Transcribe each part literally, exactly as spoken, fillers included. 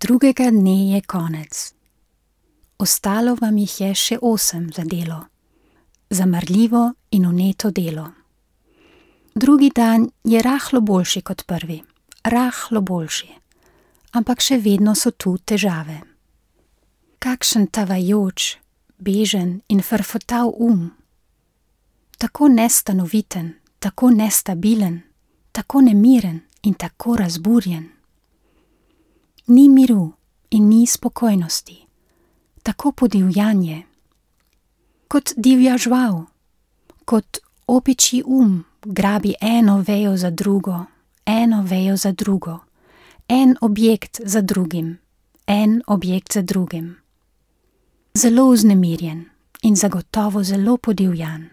Drugega dne je konec. Ostalo vam jih je še osem za delo, za marljivo in vneto delo. Drugi dan je rahlo boljši kot prvi, rahlo boljši, ampak še vedno so tu težave. Kakšen tavajoč, bežen in frfotav um. Tako nestanoviten, tako nestabilen, tako nemiren in tako razburjen. Ni miru in ni spokojnosti, tako podivjanje. Kot divja žval, kot opičji um grabi eno vejo za drugo, eno vejo za drugo, en objekt za drugim, en objekt za drugim. Zelo vznemirjen in zagotovo zelo podivjan.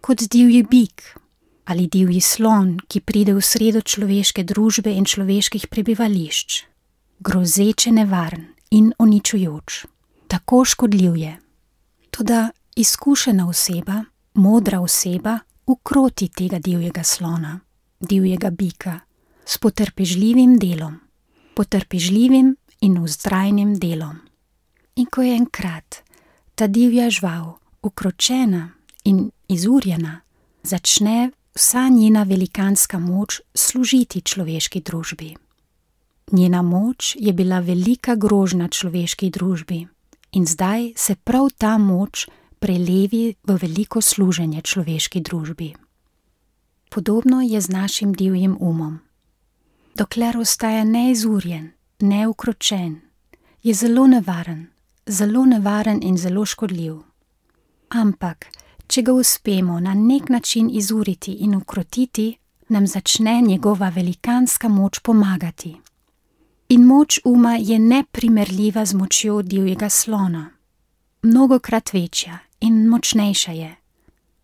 Kot divji bik ali divji slon, ki pride v sredo človeške družbe in človeških prebivališč. Grozeče nevaren in uničujoč, tako škodljiv je. Toda izkušena oseba, modra oseba, ukroti tega divjega slona, divjega bika, s potrpežljivim delom, potrpežljivim in vztrajnim delom. In ko je enkrat ta divja žval ukročena in izurjena, začne vsa njena velikanska moč služiti človeški družbi. Njena moč je bila velika grožnja človeški družbi in zdaj se prav ta moč prelevi v veliko služenje človeški družbi. Podobno je z našim divjim umom. Dokler ostaja neizurjen, neukročen, je zelo nevaren, zelo nevaren in zelo škodljiv. Ampak, če ga uspemo na nek način izuriti in ukrotiti, nam začne njegova velikanska moč pomagati. In moč uma je neprimerljiva z močjo divjega slona. Mnogokrat večja in močnejša je.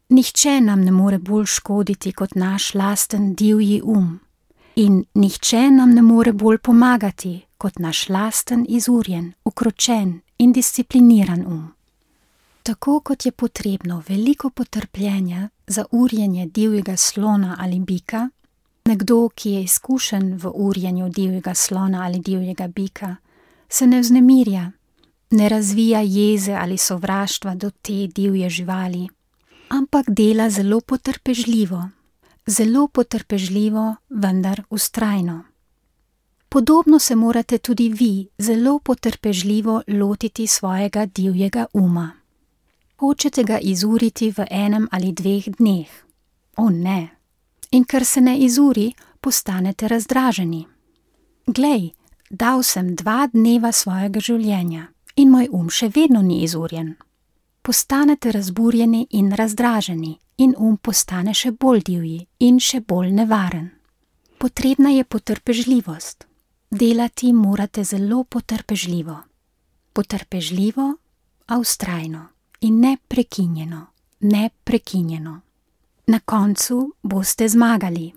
Nihče nam ne more bolj škoditi kot naš lasten divji um. In nihče nam ne more bolj pomagati kot naš lasten izurjen, ukročen in discipliniran um. Tako kot je potrebno veliko potrpljenja za urjenje divjega slona ali bika, nekdo, ki je izkušen v urjenju divjega slona ali divjega bika, se ne vznemirja, ne razvija jeze ali sovraštva do te divje živali, ampak dela zelo potrpežljivo, zelo potrpežljivo, vendar vztrajno. Podobno se morate tudi vi zelo potrpežljivo lotiti svojega divjega uma. Hočete ga izuriti v enem ali dveh dneh? O ne! In ker se ne izuri, postanete razdraženi. Glej, dal sem dva dneva svojega življenja in moj um še vedno ni izurjen. Postanete razburjeni in razdraženi in um postane še bolj divji in še bolj nevaren. Potrebna je potrpežljivost. Delati morate zelo potrpežljivo. Potrpežljivo, a vztrajno in neprekinjeno, neprekinjeno. Na koncu boste zmagali.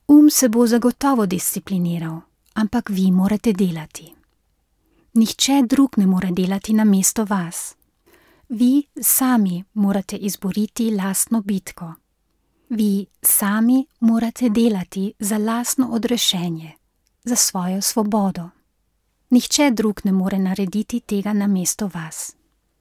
Um se bo zagotovo discipliniral, ampak vi morate delati. Nihče drug ne more delati namesto vas. Vi sami morate izboriti lastno bitko. Vi sami morate delati za lastno odrešenje, za svojo svobodo. Nihče drug ne more narediti tega namesto vas.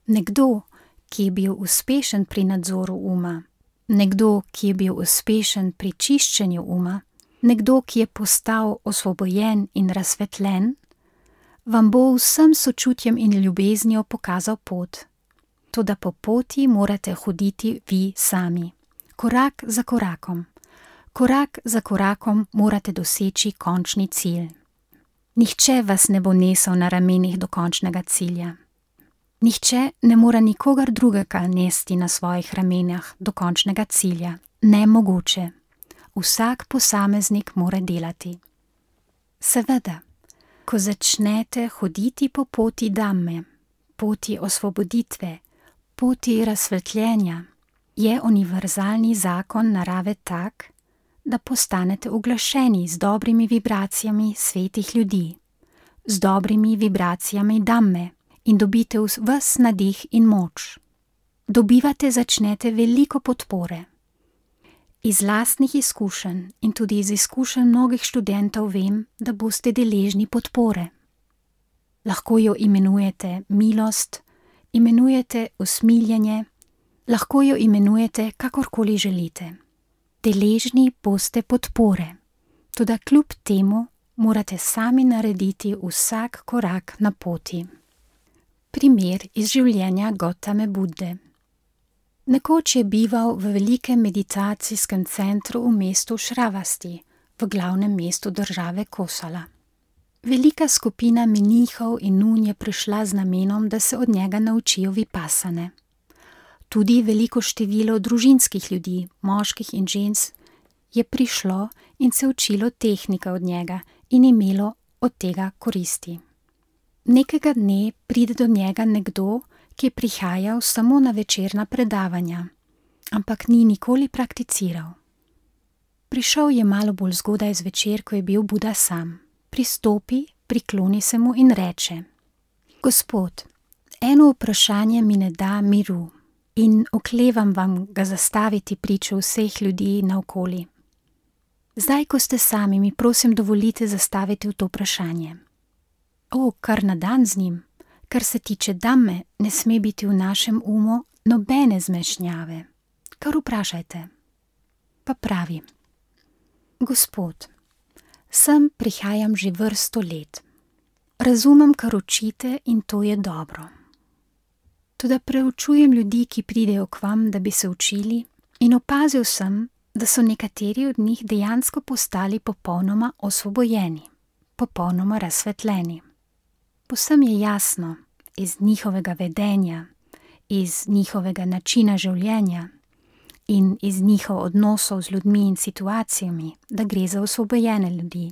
Nekdo, ki je bil uspešen pri nadzoru uma, nekdo, ki je bil uspešen pri čiščenju uma, nekdo, ki je postal osvobojen in razsvetljen, vam bo vsem sočutjem in ljubeznijo pokazal pot. Toda po poti morate hoditi vi sami, korak za korakom. Korak za korakom morate doseči končni cilj. Nihče vas ne bo nesel na ramenih do končnega cilja. Nihče ne more nikogar drugega nesti na svojih ramenih do končnega cilja. Nemogoče. Vsak posameznik mora delati. Seveda, ko začnete hoditi po poti Dhamme, poti osvoboditve, poti razsvetljenja, je univerzalni zakon narave tak, da postanete uglašeni z dobrimi vibracijami svetih ljudi, z dobrimi vibracijami Dhamme, in dobite ves nadih in moč. Dobivate začnete veliko podpore. Iz lastnih izkušenj in tudi iz izkušenj mnogih študentov vem, da boste deležni podpore. lahko jo imenujete milost, imenujete usmiljenje, lahko jo imenujete kakorkoli želite. Deležni boste podpore, toda kljub temu morate sami narediti vsak korak na poti. Primer iz življenja Gautame Budde. Nekoč je bival v velikem meditacijskem centru v mestu Šravasti, v glavnem mestu države Kosala. Velika skupina menihov in nun je prišla z namenom, da se od njega naučijo vipasane. Tudi veliko število družinskih ljudi, moških in žensk, je prišlo in se učilo tehnike od njega in imelo od tega koristi. Nekega dne pride do njega nekdo, ki je prihajal samo na večerna predavanja, ampak ni nikoli prakticiral. Prišel je malo bolj zgodaj zvečer, ko je bil Buda sam. Pristopi, prikloni se mu in reče: Gospod, eno vprašanje mi ne da miru in oklevam vam ga zastaviti pričo vseh ljudi naokoli. Zdaj, ko ste sami, mi prosim dovolite zastaviti v to vprašanje. O, kar na dan z njim, kar se tiče dame, ne sme biti v našem umu nobene zmešnjave. Kar vprašajte. Pa pravi: Gospod, sem prihajam že vrsto let. Razumem, kar učite in to je dobro. Toda preučujem ljudi, ki pridejo k vam, da bi se učili, in opazil sem, da so nekateri od njih dejansko postali popolnoma osvobojeni, popolnoma razsvetljeni. Povsem je jasno iz njihovega vedenja, iz njihovega načina življenja in iz njihov odnosov z ljudmi in situacijami, da gre za osvobojene ljudi.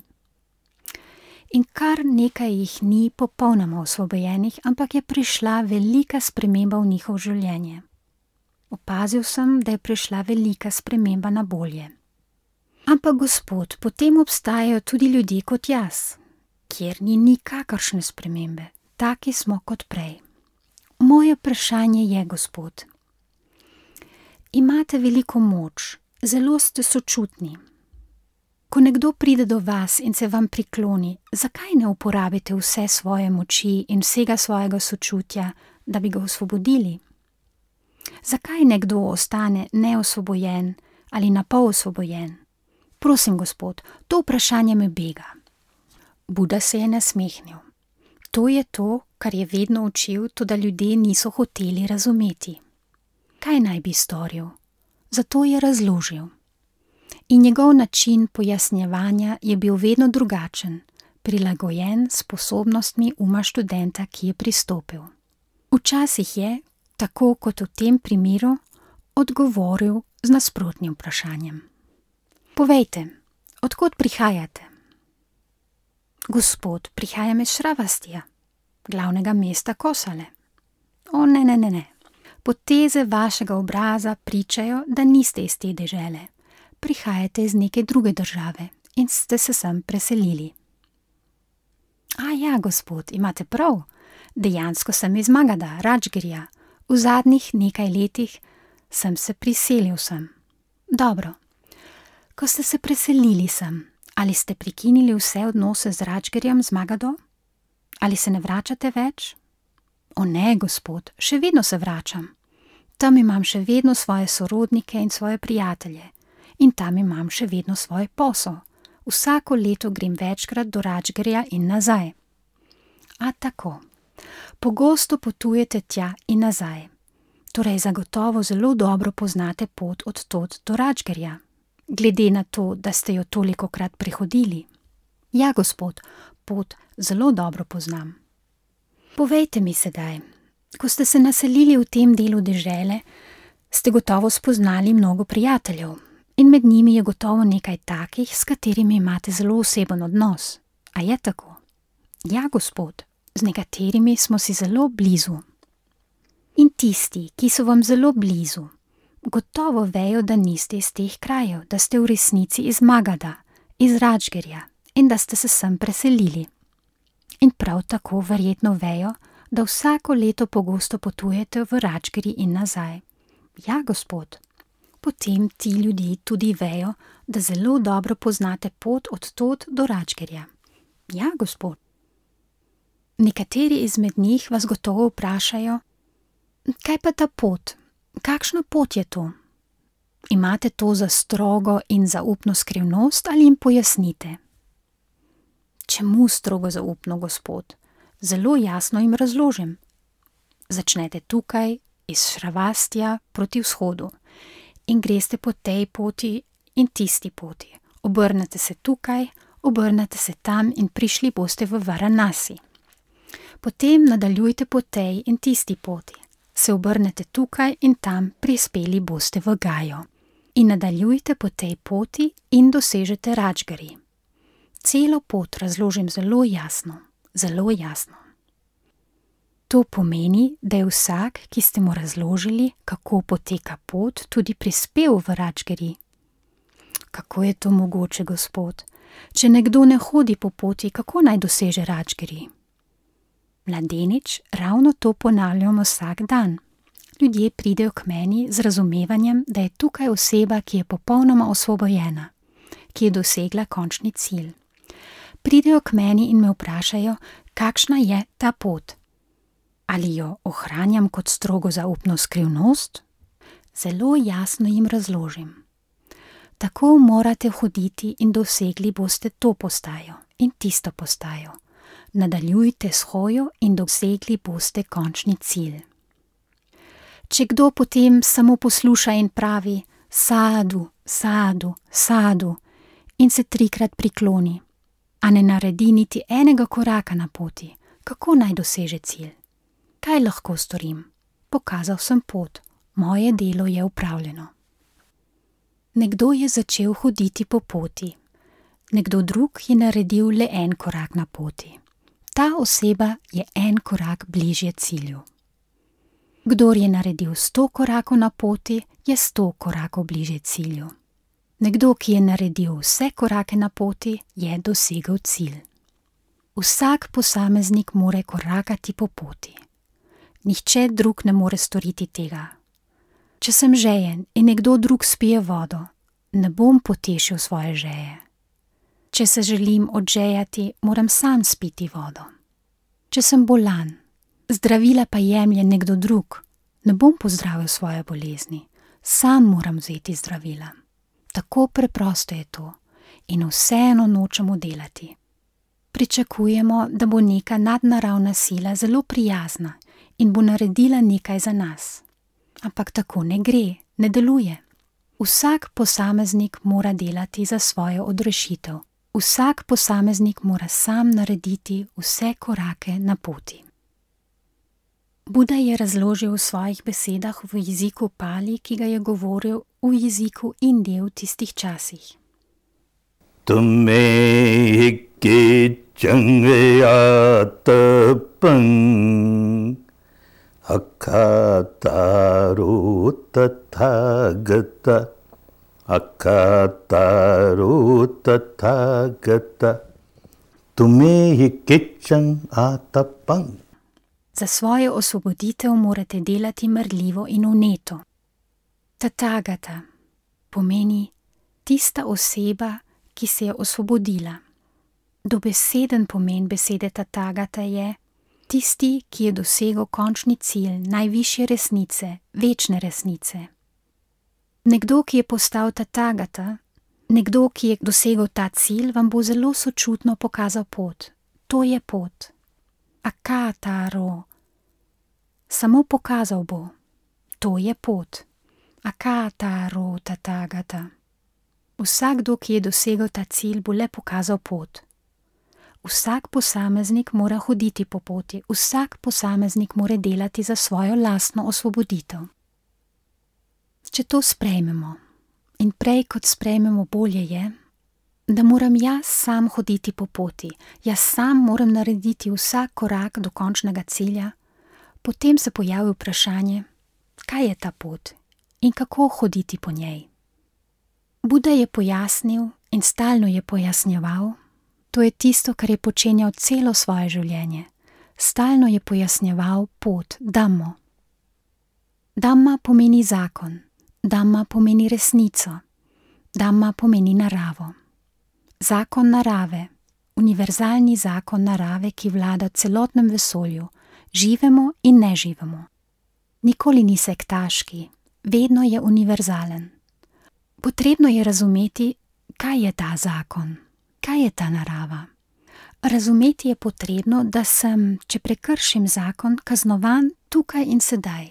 In kar nekaj jih ni popolnoma osvobojenih, ampak je prišla velika sprememba v njihovo življenje. Opazil sem, da je prišla velika sprememba na bolje. Ampak gospod, potem obstajajo tudi ljudje kot jaz, kjer ni nikakršne spremembe, taki smo kot prej. Moje vprašanje je, gospod, imate veliko moč, zelo ste sočutni. Ko nekdo pride do vas in se vam prikloni, zakaj ne uporabite vse svoje moči in vsega svojega sočutja, da bi ga osvobodili? Zakaj nekdo ostane neosvobojen ali napol osvobojen? Prosim, gospod, to vprašanje me bega. Buda se je nasmehnil. To je to, kar je vedno učil, toda ljudje niso hoteli razumeti. Kaj naj bi storil? Zato je razložil. In njegov način pojasnjevanja je bil vedno drugačen, prilagojen sposobnostmi uma študenta, ki je pristopil. Včasih je, tako kot v tem primeru, odgovoril z nasprotnim vprašanjem. Povejte, od kod prihajate? Gospod, prihajam iz Šravastija, glavnega mesta Kosale. O, ne, ne, ne, ne. Poteze vašega obraza pričajo, da niste iz te dežele. Prihajate iz neke druge države in ste se sem preselili. A ja, gospod, imate prav. Dejansko sem iz Magada, Radžgirja. V zadnjih nekaj letih sem se priselil sem. Dobro. Ko ste se preselili sem, ali ste prekinili vse odnose z Radžgirjem, z Magado? Ali se ne vračate več? O ne, gospod, še vedno se vračam. Tam imam še vedno svoje sorodnike in svoje prijatelje. In tam imam še vedno svoj posel. Vsako leto grem večkrat do Radžgirja in nazaj. A tako. Pogosto potujete tja in nazaj. Torej zagotovo zelo dobro poznate pot od tod do Radžgirja, glede na to, da ste jo tolikokrat prehodili. Ja, gospod, pot zelo dobro poznam. Povejte mi sedaj, ko ste se naselili v tem delu dežele, ste gotovo spoznali mnogo prijateljev. In med njimi je gotovo nekaj takih, s katerimi imate zelo oseben odnos. A je tako? Ja, gospod, z nekaterimi smo si zelo blizu. In tisti, ki so vam zelo blizu, gotovo vejo, da niste iz teh krajev, da ste v resnici iz Magada, iz Radžgirja in da ste se sem preselili. In prav tako verjetno vejo, da vsako leto pogosto potujete v Radžgirji in nazaj. Ja, gospod. Potem ti ljudje tudi vejo, da zelo dobro poznate pot od tod do Radžgirja. Ja, gospod. Nekateri izmed njih vas gotovo vprašajo: kaj pa ta pot? Kakšna pot je to? Imate to za strogo in zaupno skrivnost ali jim pojasnite? Čemu strogo zaupno, gospod? Zelo jasno jim razložim. Začnete tukaj, iz Šravastja proti vzhodu, in greste po tej poti in tisti poti. Obrnete se tukaj, obrnete se tam in prišli boste v Varanasi. Potem nadaljujte po tej in tisti poti. Se obrnete tukaj in tam, prispeli boste v Gajo. In nadaljujte po tej poti in dosežete Račgari. Celo pot razložim zelo jasno, zelo jasno. To pomeni, da je vsak, ki ste mu razložili, kako poteka pot, tudi prispel v Račgari. Kako je to mogoče, gospod? Če nekdo ne hodi po poti, kako naj doseže Račgari? Mladenič, ravno to ponavljamo vsak dan. Ljudje pridejo k meni z razumevanjem, da je tukaj oseba, ki je popolnoma osvobojena, ki je dosegla končni cilj. Pridejo k meni in me vprašajo, kakšna je ta pot. Ali jo ohranjam kot strogo zaupno skrivnost? Zelo jasno jim razložim. Tako morate hoditi in dosegli boste to postajo in tisto postajo. Nadaljujte s hojo in dosegli boste končni cilj. Če kdo potem samo posluša in pravi sadu, sadu, sadu in se trikrat prikloni, a ne naredi niti enega koraka na poti, kako naj doseže cilj? Kaj lahko storim? Pokazal sem pot, moje delo je upravljeno. Nekdo je začel hoditi po poti, nekdo drug je naredil le en korak na poti. Ta oseba je en korak bližje cilju. Kdor je naredil sto korakov na poti, je sto korakov bližje cilju. Nekdo, ki je naredil vse korake na poti, je dosegel cilj. Vsak posameznik more korakati po poti. Nihče drug ne more storiti tega. Če sem žejen in nekdo drug spije vodo, ne bom potešil svoje žeje. Če se želim odžejati, moram sam spiti vodo. Če sem bolan, zdravila pa jemlje nekdo drug, ne bom pozdravil svoje bolezni, sam moram vzeti zdravila. Tako preprosto je to in vseeno nočemo delati. Pričakujemo, da bo neka nadnaravna sila zelo prijazna in bo naredila nekaj za nas. Ampak tako ne gre, ne deluje. Vsak posameznik mora delati za svojo odrešitev. Vsak posameznik mora sam narediti vse korake na poti. Buda je razložil v svojih besedah v jeziku Pali, ki ga je govoril v jeziku Indije v tistih časih. Tume ke changayatapang akataru tathagata akataru tathagata tume ke changayatapang. Za svojo osvoboditev morate delati marljivo in vneto. Tathagata pomeni tista oseba, ki se je osvobodila. Dobeseden pomen besede Tathagata je tisti, ki je dosegel končni cilj najvišje resnice, večne resnice. Nekdo, ki je postal Tathagata, nekdo, ki je dosegel ta cilj, vam bo zelo sočutno pokazal pot. To je pot. Akataro. Samo pokazal bo. To je pot. Akataro Tathagata. Vsakdo, ki je dosegel ta cilj, bo le pokazal pot. Vsak posameznik mora hoditi po poti, vsak posameznik mora delati za svojo lastno osvoboditev. Če to sprejmemo, in prej kot sprejmemo bolje je, da moram jaz sam hoditi po poti, jaz sam moram narediti vsak korak do končnega cilja, potem se pojavi vprašanje, kaj je ta pot in kako hoditi po njej. Buda je pojasnil in stalno je pojasnjeval, to je tisto, kar je počenjal celo svoje življenje. Stalno je pojasnjeval pot, Dhammo. Dhamma pomeni zakon, Dhamma pomeni resnico, Dhamma pomeni naravo. Zakon narave, univerzalni zakon narave, ki vlada celotnem vesolju, živemo in ne živemo. Nikoli ni sektaški, vedno je univerzalen. Potrebno je razumeti, kaj je ta zakon, kaj je ta narava. Razumeti je potrebno, da sem, če prekršim zakon, kaznovan tukaj in sedaj.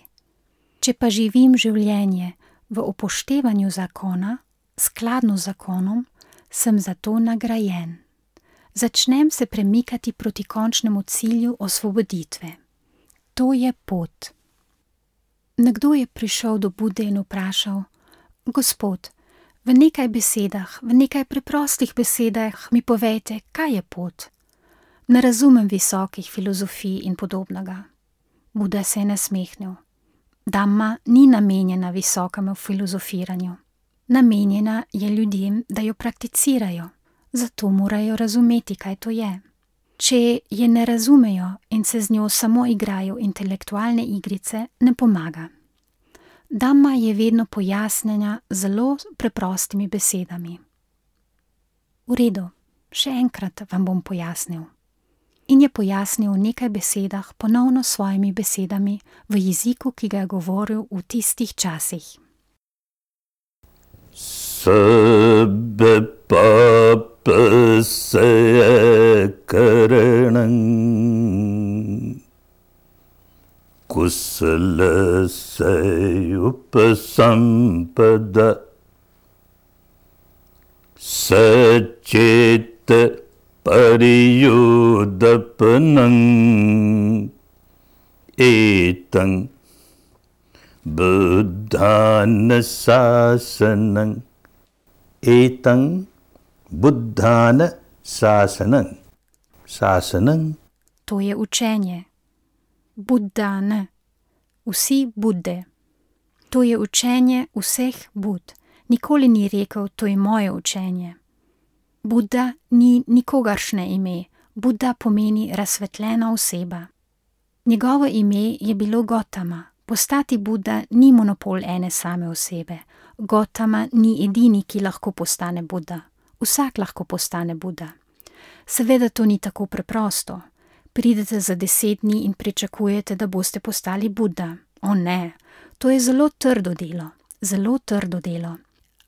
Če pa živim življenje v upoštevanju zakona, skladno z zakonom, sem za to nagrajen. Začnem se premikati proti končnemu cilju osvoboditve. To je pot. Nekdo je prišel do Bude in vprašal: Gospod, v nekaj besedah, v nekaj preprostih besedah mi povejte, kaj je pot. Ne razumem visokih filozofij in podobnega. Buda se je nasmehnil. Dhamma ni namenjena visokemu filozofiranju. Namenjena je ljudem, da jo prakticirajo, zato morajo razumeti, kaj to je. Če je ne razumejo in se z njo samo igrajo intelektualne igrice, ne pomaga. Dhamma je vedno pojasnjena zelo preprostimi besedami. V redu, še enkrat vam bom pojasnil. In je pojasnil v nekaj besedah ponovno svojimi besedami v jeziku, ki ga je govoril v tistih časih. Sabbe papasaya karanam kusalasaya upasampada saceta pariyudapanam etang buddhana sasanam etang buddhana sasanam. Sasanam. To je učenje. Buddhana. Vsi Budde. To je učenje vseh Bud. Nikoli ni rekel, to je moje učenje. Buddha ni nikogaršne ime. Buddha pomeni razsvetljena oseba. Njegovo ime je bilo Gotama. Postati Buddha ni monopol ene same osebe. Gotama ni edini, ki lahko postane Buddha. Vsak lahko postane Buddha. Seveda to ni tako preprosto. Pridete za deset dni in pričakujete, da boste postali Buddha. O ne, to je zelo trdo delo. Zelo trdo delo.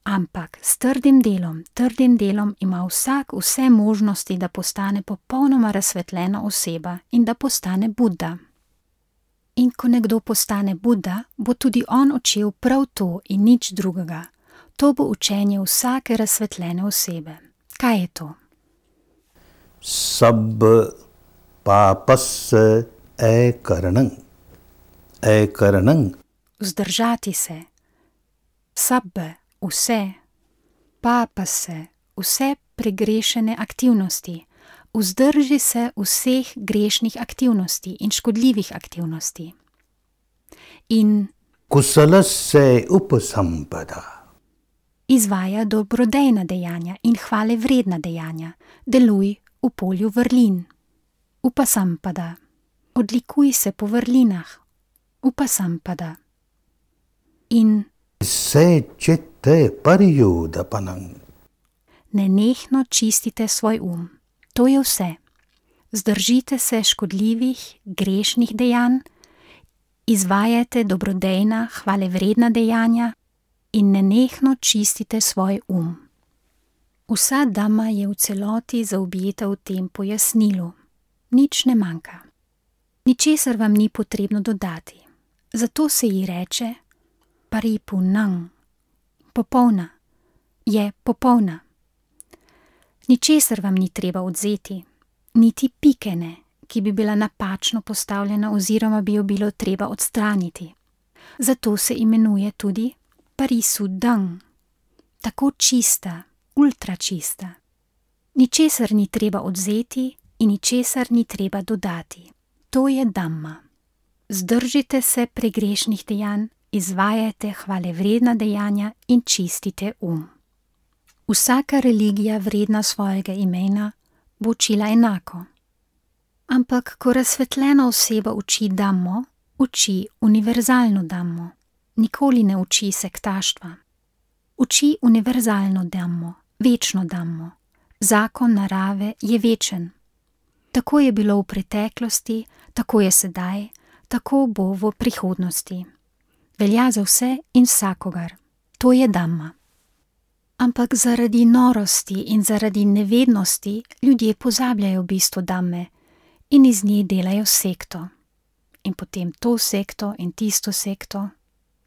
Ampak s trdim delom, trdim delom ima vsak vse možnosti, da postane popolnoma razsvetljena oseba in da postane Buddha. In ko nekdo postane Buddha, bo tudi on učil prav to in nič drugega. To bo učenje vsake razsvetljene osebe. Kaj je to? Sabba papasya ekaranam. Ekaranam. Vzdržati se. Sabbe. Vse, papa se, vse pregrešene aktivnosti, vzdrži se vseh grešnih aktivnosti in škodljivih aktivnosti. In kusalasya upasampada. Izvaja dobrodejna dejanja in hvale vredna dejanja, deluj v polju vrlin. Upasampada. Odlikuj se po vrlinah. Upasampada. In Secete pariyudapanam. Nenehno čistite svoj um. To je vse. Zdržite se škodljivih, grešnih dejanj, izvajajte dobrodejna, hvalevredna dejanja in nenehno čistite svoj um. Vsa dhamma je v celoti zaobjeta v tem pojasnilu. Nič ne manjka. Ničesar vam ni potrebno dodati. Zato se ji reče Paripunang. Popolna. Je popolna. Ničesar vam ni treba odzeti, niti pike ne, ki bi bila napačno postavljena oziroma bi jo bilo treba odstraniti. Zato se imenuje tudi Parisudang. Tako čista, ultra čista. Ničesar ni treba odzeti in ničesar ni treba dodati. To je Dhamma. Zdržite se pregrešnih dejanj, izvajajte hvalevredna dejanja in čistite um. Vsaka religija vredna svojega imena bo učila enako. Ampak, ko razsvetljena oseba uči Dhammo, uči univerzalno Dhammo. Nikoli ne uči sektaštva. Uči univerzalno Dhammo, večno Dhammo. Zakon narave je večen. Tako je bilo v preteklosti, tako je sedaj, tako bo v prihodnosti. Velja za vse in vsakogar. To je Dhamma. Ampak zaradi norosti in zaradi nevednosti ljudje pozabljajo bistvo Dhamme in iz nje delajo sekto. In potem to sekto in tisto sekto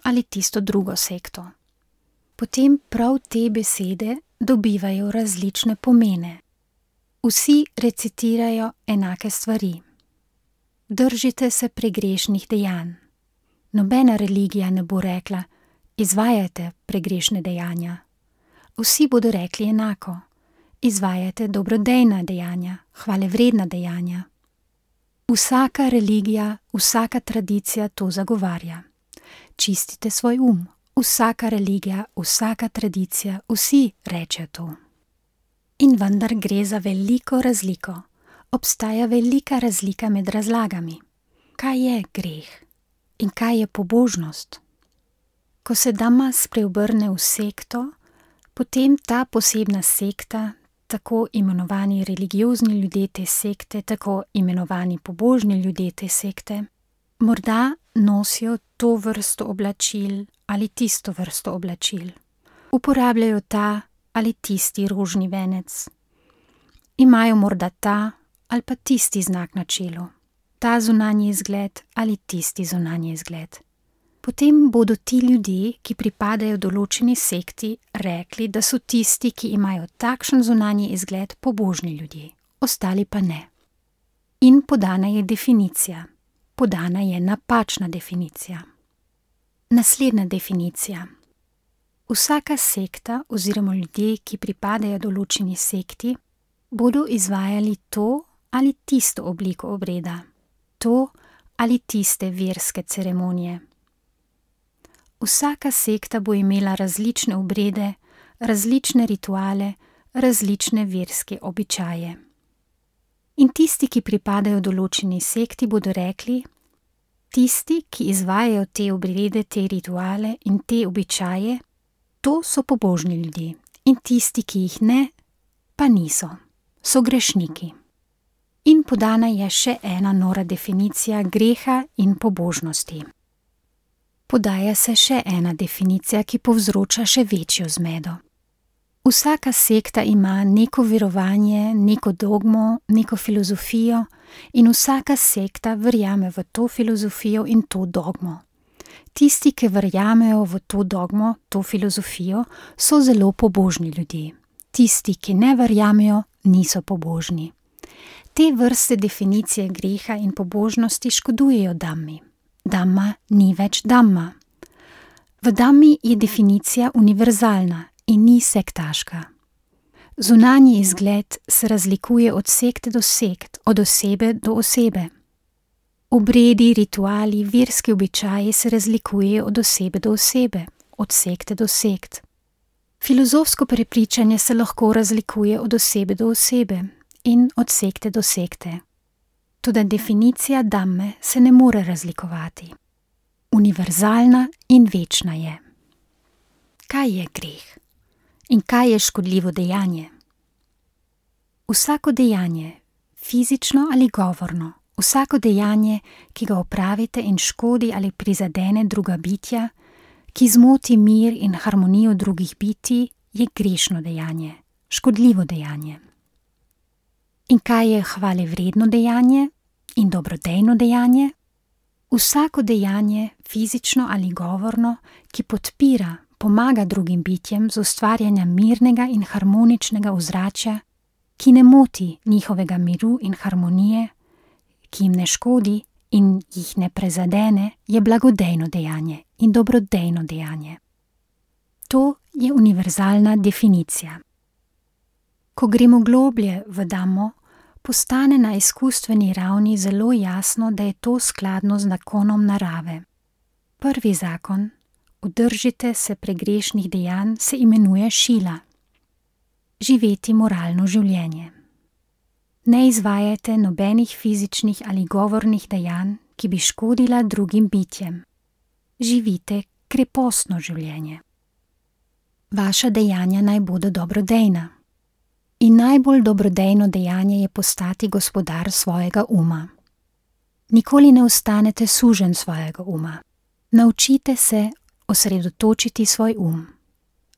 ali tisto drugo sekto. Potem prav te besede dobivajo različne pomene. Vsi recitirajo enake stvari. Držite se pregrešnih dejanj. Nobena religija ne bo rekla, izvajajte pregrešne dejanja. Vsi bodo rekli enako, izvajajte dobrodejna dejanja, hvalevredna dejanja. Vsaka religija, vsaka tradicija to zagovarja. Čistite svoj um. Vsaka religija, vsaka tradicija, vsi rečejo to. In vendar gre za veliko razliko. Obstaja velika razlika med razlagami. Kaj je greh in kaj je pobožnost? Ko se Dhamma spreobrne v sekto, potem ta posebna sekta, tako imenovani religiozni ljudje te sekte, tako imenovani pobožni ljudje te sekte, morda nosijo to vrsto oblačil ali tisto vrsto oblačil. Uporabljajo ta ali tisti rožni venec. Imajo morda ta ali pa tisti znak na čelu, ta zunanji izgled ali tisti zunanji izgled. Potem bodo ti ljudje, ki pripadajo določeni sekti, rekli, da so tisti, ki imajo takšen zunanji izgled, pobožni ljudje, ostali pa ne. In podana je definicija. Podana je napačna definicija. Naslednja definicija. Vsaka sekta oziroma ljudje, ki pripadajo določeni sekti, bodo izvajali to ali tisto obliko obreda, to ali tiste verske ceremonije. Vsaka sekta bo imela različne obrede, različne rituale, različne verske običaje. In tisti, ki pripadajo določeni sekti, bodo rekli, tisti, ki izvajajo te obrede, te rituale in te običaje, to so pobožni ljudje. In tisti, ki jih ne, pa niso, so grešniki. In podana je še ena nora definicija greha in pobožnosti. Podaja se še ena definicija, ki povzroča še večjo zmedo. Vsaka sekta ima neko verovanje, neko dogmo, neko filozofijo in vsaka sekta verjame v to filozofijo in to dogmo. Tisti, ki verjamejo v to dogmo, to filozofijo, so zelo pobožni ljudje. Tisti, ki ne verjamejo, niso pobožni. Te vrste definicije greha in pobožnosti škodujejo Dhammi. Dhamma ni več Dhamma. V Dhammi je definicija univerzalna in ni sektaška. Zunanji izgled se razlikuje od sekte do sekt, od osebe do osebe. Obredi, rituali, verski običaji se razlikujejo od osebe do osebe, od sekte do sekt. Filozofsko prepričanje se lahko razlikuje od osebe do osebe in od sekte do sekte. Toda definicija Dhamme se ne more razlikovati. Univerzalna in večna je. Kaj je greh? In kaj je škodljivo dejanje? Vsako dejanje, fizično ali govorno, vsako dejanje, ki ga opravite in škodi ali prizadene druga bitja, ki zmoti mir in harmonijo drugih bitij, je grešno dejanje, škodljivo dejanje. In kaj je hvalevredno dejanje in dobrodejno dejanje? Vsako dejanje, fizično ali govorno, ki podpira, pomaga drugim bitjem z ustvarjanjem mirnega in harmoničnega ozračja, ki ne moti njihovega miru in harmonije, ki jim ne škodi in jih ne prezadene, je blagodejno dejanje in dobrodejno dejanje. To je univerzalna definicija. Ko gremo globlje v Dhammo, postane na izkustveni ravni zelo jasno, da je to skladno z zakonom narave. Prvi zakon, udržite se pregrešnih dejanj, se imenuje šila. Živeti moralno življenje. Ne izvajajte nobenih fizičnih ali govornih dejanj, ki bi škodila drugim bitjem. Živite krepostno življenje. Vaša dejanja naj bodo dobrodejna. In najbolj dobrodejno dejanje je postati gospodar svojega uma. Nikoli ne ostanete suženj svojega uma. Naučite se osredotočiti svoj um.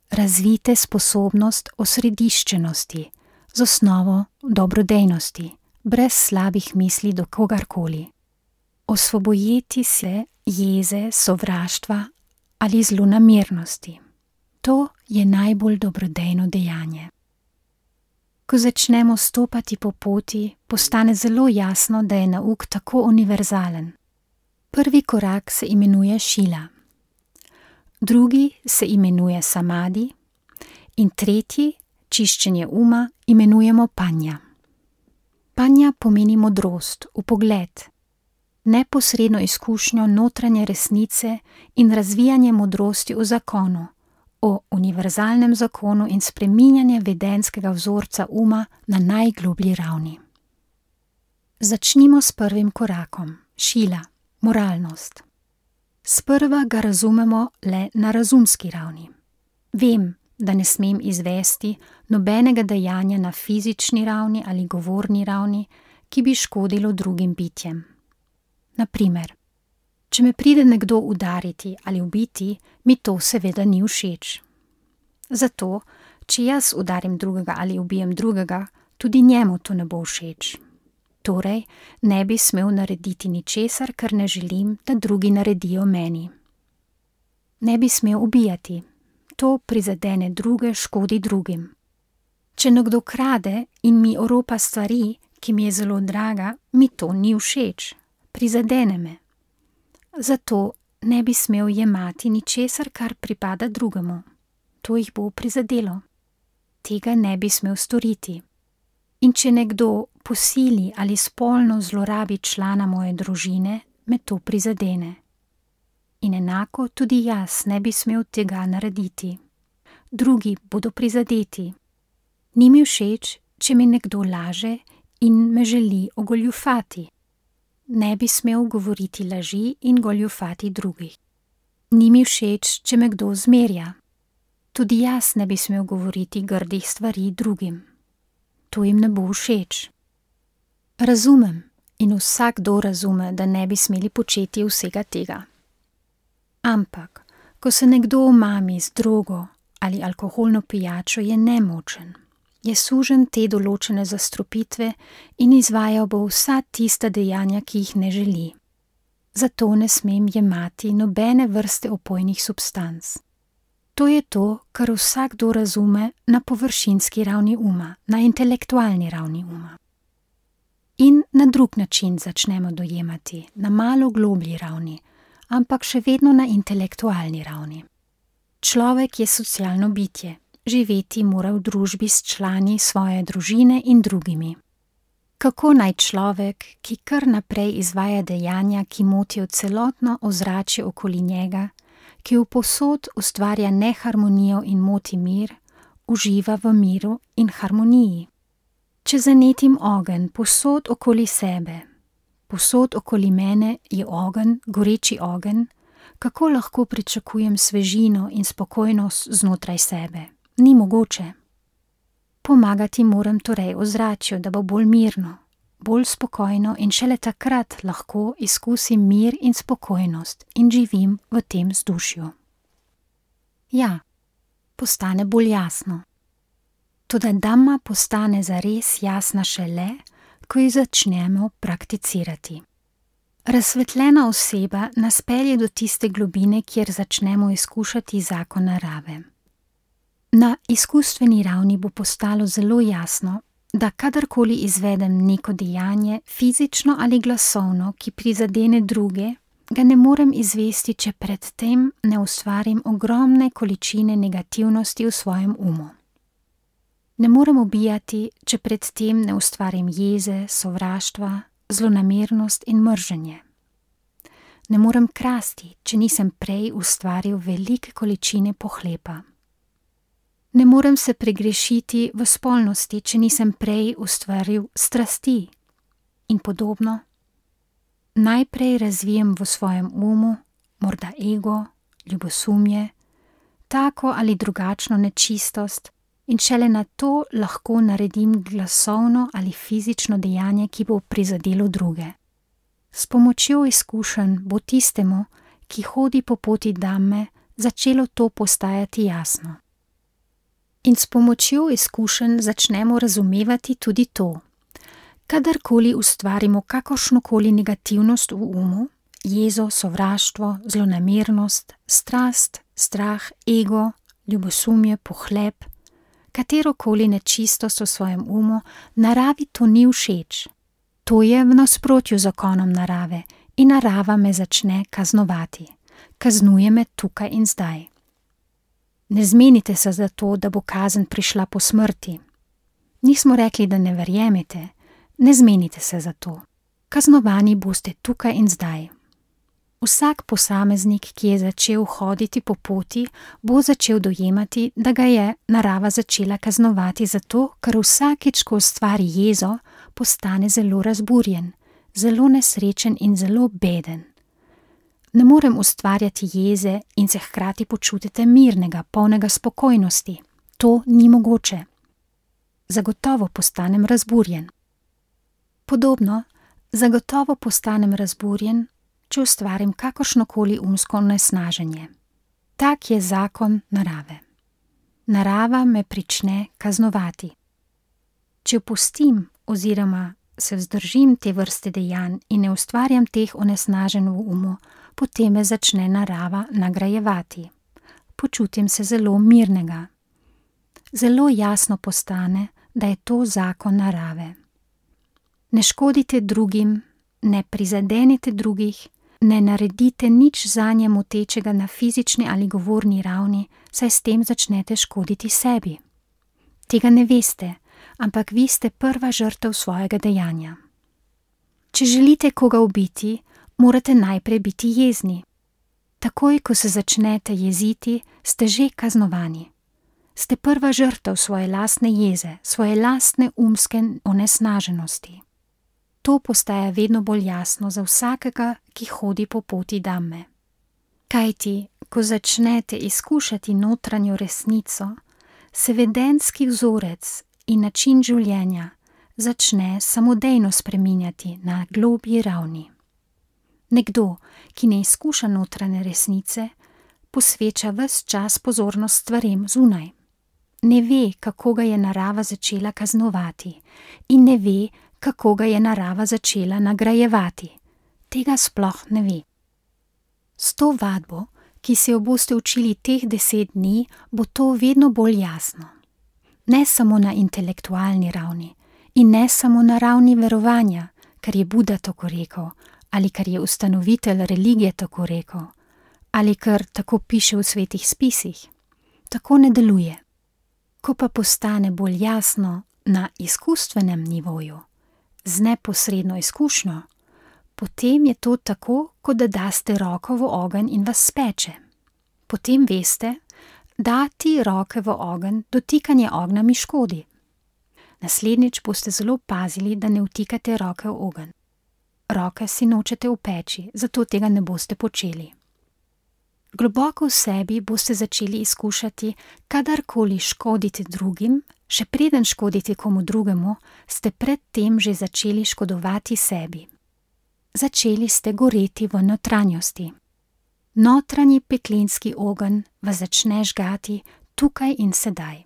Razvijte sposobnost osrediščenosti z osnovo dobrodejnosti, brez slabih misli do kogarkoli. Osvobojiti se jeze, sovraštva ali zlonamernosti. To je najbolj dobrodejno dejanje. Ko začnemo stopati po poti, postane zelo jasno, da je nauk tako univerzalen. Prvi korak se imenuje šila, drugi se imenuje samadi in tretji, čiščenje uma, imenujemo panja. Panja pomeni modrost, vpogled, neposredno izkušnjo notranje resnice in razvijanje modrosti v zakonu, o univerzalnem zakonu in spreminjanje vedenjskega vzorca uma na najgloblji ravni. Začnimo s prvim korakom, šila, moralnost. Sprva ga razumemo le na razumski ravni. Vem, da ne smem izvesti nobenega dejanja na fizični ravni ali govorni ravni, ki bi škodilo drugim bitjem. Na primer, če me pride nekdo udariti ali ubiti, mi to seveda ni všeč. Zato, če jaz udarim drugega ali ubijem drugega, tudi njemu to ne bo všeč. Torej, ne bi smel narediti ničesar, kar ne želim, da drugi naredijo meni. Ne bi smel ubijati. To prizadene druge, škodi drugim. Če nekdo krade in mi oropa stvari, ki mi je zelo draga, mi to ni všeč. Prizadene me. Zato ne bi smel jemati ničesar, kar pripada drugemu. To jih bo prizadelo. Tega ne bi smel storiti. In če nekdo posili ali spolno zlorabi člana moje družine, me to prizadene. In enako tudi jaz ne bi smel tega narediti. Drugi bodo prizadeti. Ni mi všeč, če mi nekdo laže in me želi ogoljufati. Ne bi smel govoriti laži in goljufati drugih. Ni mi všeč, če me kdo zmerja. Tudi jaz ne bi smel govoriti grdih stvari drugim. To jim ne bo všeč. Razumem in vsakdo razume, da ne bi smeli početi vsega tega. Ampak, ko se nekdo omami z drogo ali alkoholno pijačo, je nemočen. Je suženj te določene zastrupitve in izvajal bo vsa tista dejanja, ki jih ne želi. Zato ne smem jemati nobene vrste opojnih substanc. To je to, kar vsakdo razume na površinski ravni uma, na intelektualni ravni uma. In na drug način začnemo dojemati, na malo globlji ravni, ampak še vedno na intelektualni ravni. Človek je socialno bitje, živeti mora v družbi s člani svoje družine in drugimi. Kako naj človek, ki kar naprej izvaja dejanja, ki motijo celotno ozračje okoli njega, ki vposod ustvarja neharmonijo in moti mir, uživa v miru in harmoniji? Če zanetim ogenj posod okoli sebe, posod okoli mene je ogenj, goreči ogenj, kako lahko pričakujem svežino in spokojnost znotraj sebe? Ni mogoče. Pomagati moram torej ozračju, da bo bolj mirno, bolj spokojno in šele takrat lahko izkusim mir in spokojnost in živim v tem vzdušju. Ja, postane bolj jasno. Toda dhamma postane zares jasna šele, ko jo začnemo prakticirati. Razsvetljena oseba nas pelje do tiste globine, kjer začnemo izkušati zakon narave. Na izkustveni ravni bo postalo zelo jasno, da kadarkoli izvedem neko dejanje, fizično ali glasovno, ki prizadene druge, ga ne morem izvesti, če predtem ne ustvarim ogromne količine negativnosti v svojem umu. Ne morem ubijati, če predtem ne ustvarim jeze, sovraštva, zlonamernost in mrženje. Ne morem krasti, če nisem prej ustvaril velike količine pohlepa. Ne morem se pregrešiti v spolnosti, če nisem prej ustvaril strasti in podobno. Najprej razvijem v svojem umu, morda ego, ljubosumje, tako ali drugačno nečistost in šele na to lahko naredim glasovno ali fizično dejanje, ki bo prizadelo druge. S pomočjo izkušenj bo tistemu, ki hodi po poti Dhamme, začelo to postajati jasno. In s pomočjo izkušenj začnemo razumevati tudi to. Kadarkoli ustvarimo kakršnokoli negativnost v umu, jezo, sovraštvo, zlonamernost, strast, strah, ego, ljubosumje, pohleb, katerokoli nečistost v svojem umu, naravi to ni všeč. To je v nasprotju z zakonom narave in narava me začne kaznovati. Kaznuje me tukaj in zdaj. Ne zmenite se za to, da bo kazen prišla po smrti. Nismo rekli, da ne verjemite. Ne zmenite se za to. Kaznovani boste tukaj in zdaj. Vsak posameznik, ki je začel hoditi po poti, bo začel dojemati, da ga je narava začela kaznovati zato, ker vsakič, ko ustvari jezo, postane zelo razburjen, zelo nesrečen in zelo beden. Ne morem ustvarjati jeze in se hkrati počutiti mirnega, polnega spokojnosti. To ni mogoče. Zagotovo postanem razburjen. Podobno, zagotovo postanem razburjen, če ustvarim kakršnokoli umsko nesnaženje. Tak je zakon narave. Narava me prične kaznovati. Če opustim oziroma se vzdržim te vrste dejanj in ne ustvarjam teh onesnaženj v umu, potem me začne narava nagrajevati. Počutim se zelo mirnega. Zelo jasno postane, da je to zakon narave. Ne škodite drugim, ne prizadenite drugih, ne naredite nič zanje motečega na fizični ali govorni ravni, saj s tem začnete škoditi sebi. Tega ne veste, ampak vi ste prva žrtev svojega dejanja. Če želite koga ubiti, morate najprej biti jezni. Takoj, ko se začnete jeziti, ste že kaznovani. Ste prva žrtev svoje lastne jeze, svoje lastne umske onesnaženosti. To postaja vedno bolj jasno za vsakega, ki hodi po poti Dhamme. Kajti, ko začnete izkušati notranjo resnico, se vedenski vzorec in način življenja začne samodejno spreminjati na globji ravni. Nekdo, ki ne izkuša notranje resnice, posveča ves čas pozornost stvarem zunaj. Ne ve, kako ga je narava začela kaznovati in ne ve, kako ga je narava začela nagrajevati. Tega sploh ne ve. S to vadbo, ki se jo boste učili teh deset dni, bo to vedno bolj jasno. Ne samo na intelektualni ravni in ne samo na ravni verovanja, ker je Buda tako rekel, ali ker je ustanovitelj religije tako rekel, ali ker tako piše v svetih spisih. Tako ne deluje. Ko pa postane bolj jasno na izkustvenem nivoju, z neposredno izkušnjo, potem je to tako, kot da daste roko v ogenj in vas speče. Potem veste, dati roke v ogenj, dotikanje ognja mi škodi. Naslednjič boste zelo pazili, da ne vtikate roke v ogenj. Roke si nočete v peči, zato tega ne boste počeli. Globoko v sebi boste začeli izkušati, kadarkoli škodite drugim, še preden škodite komu drugemu, ste predtem že začeli škodovati sebi. Začeli ste goreti v notranjosti. Notranji peklenski ogenj vas začne žgati tukaj in sedaj.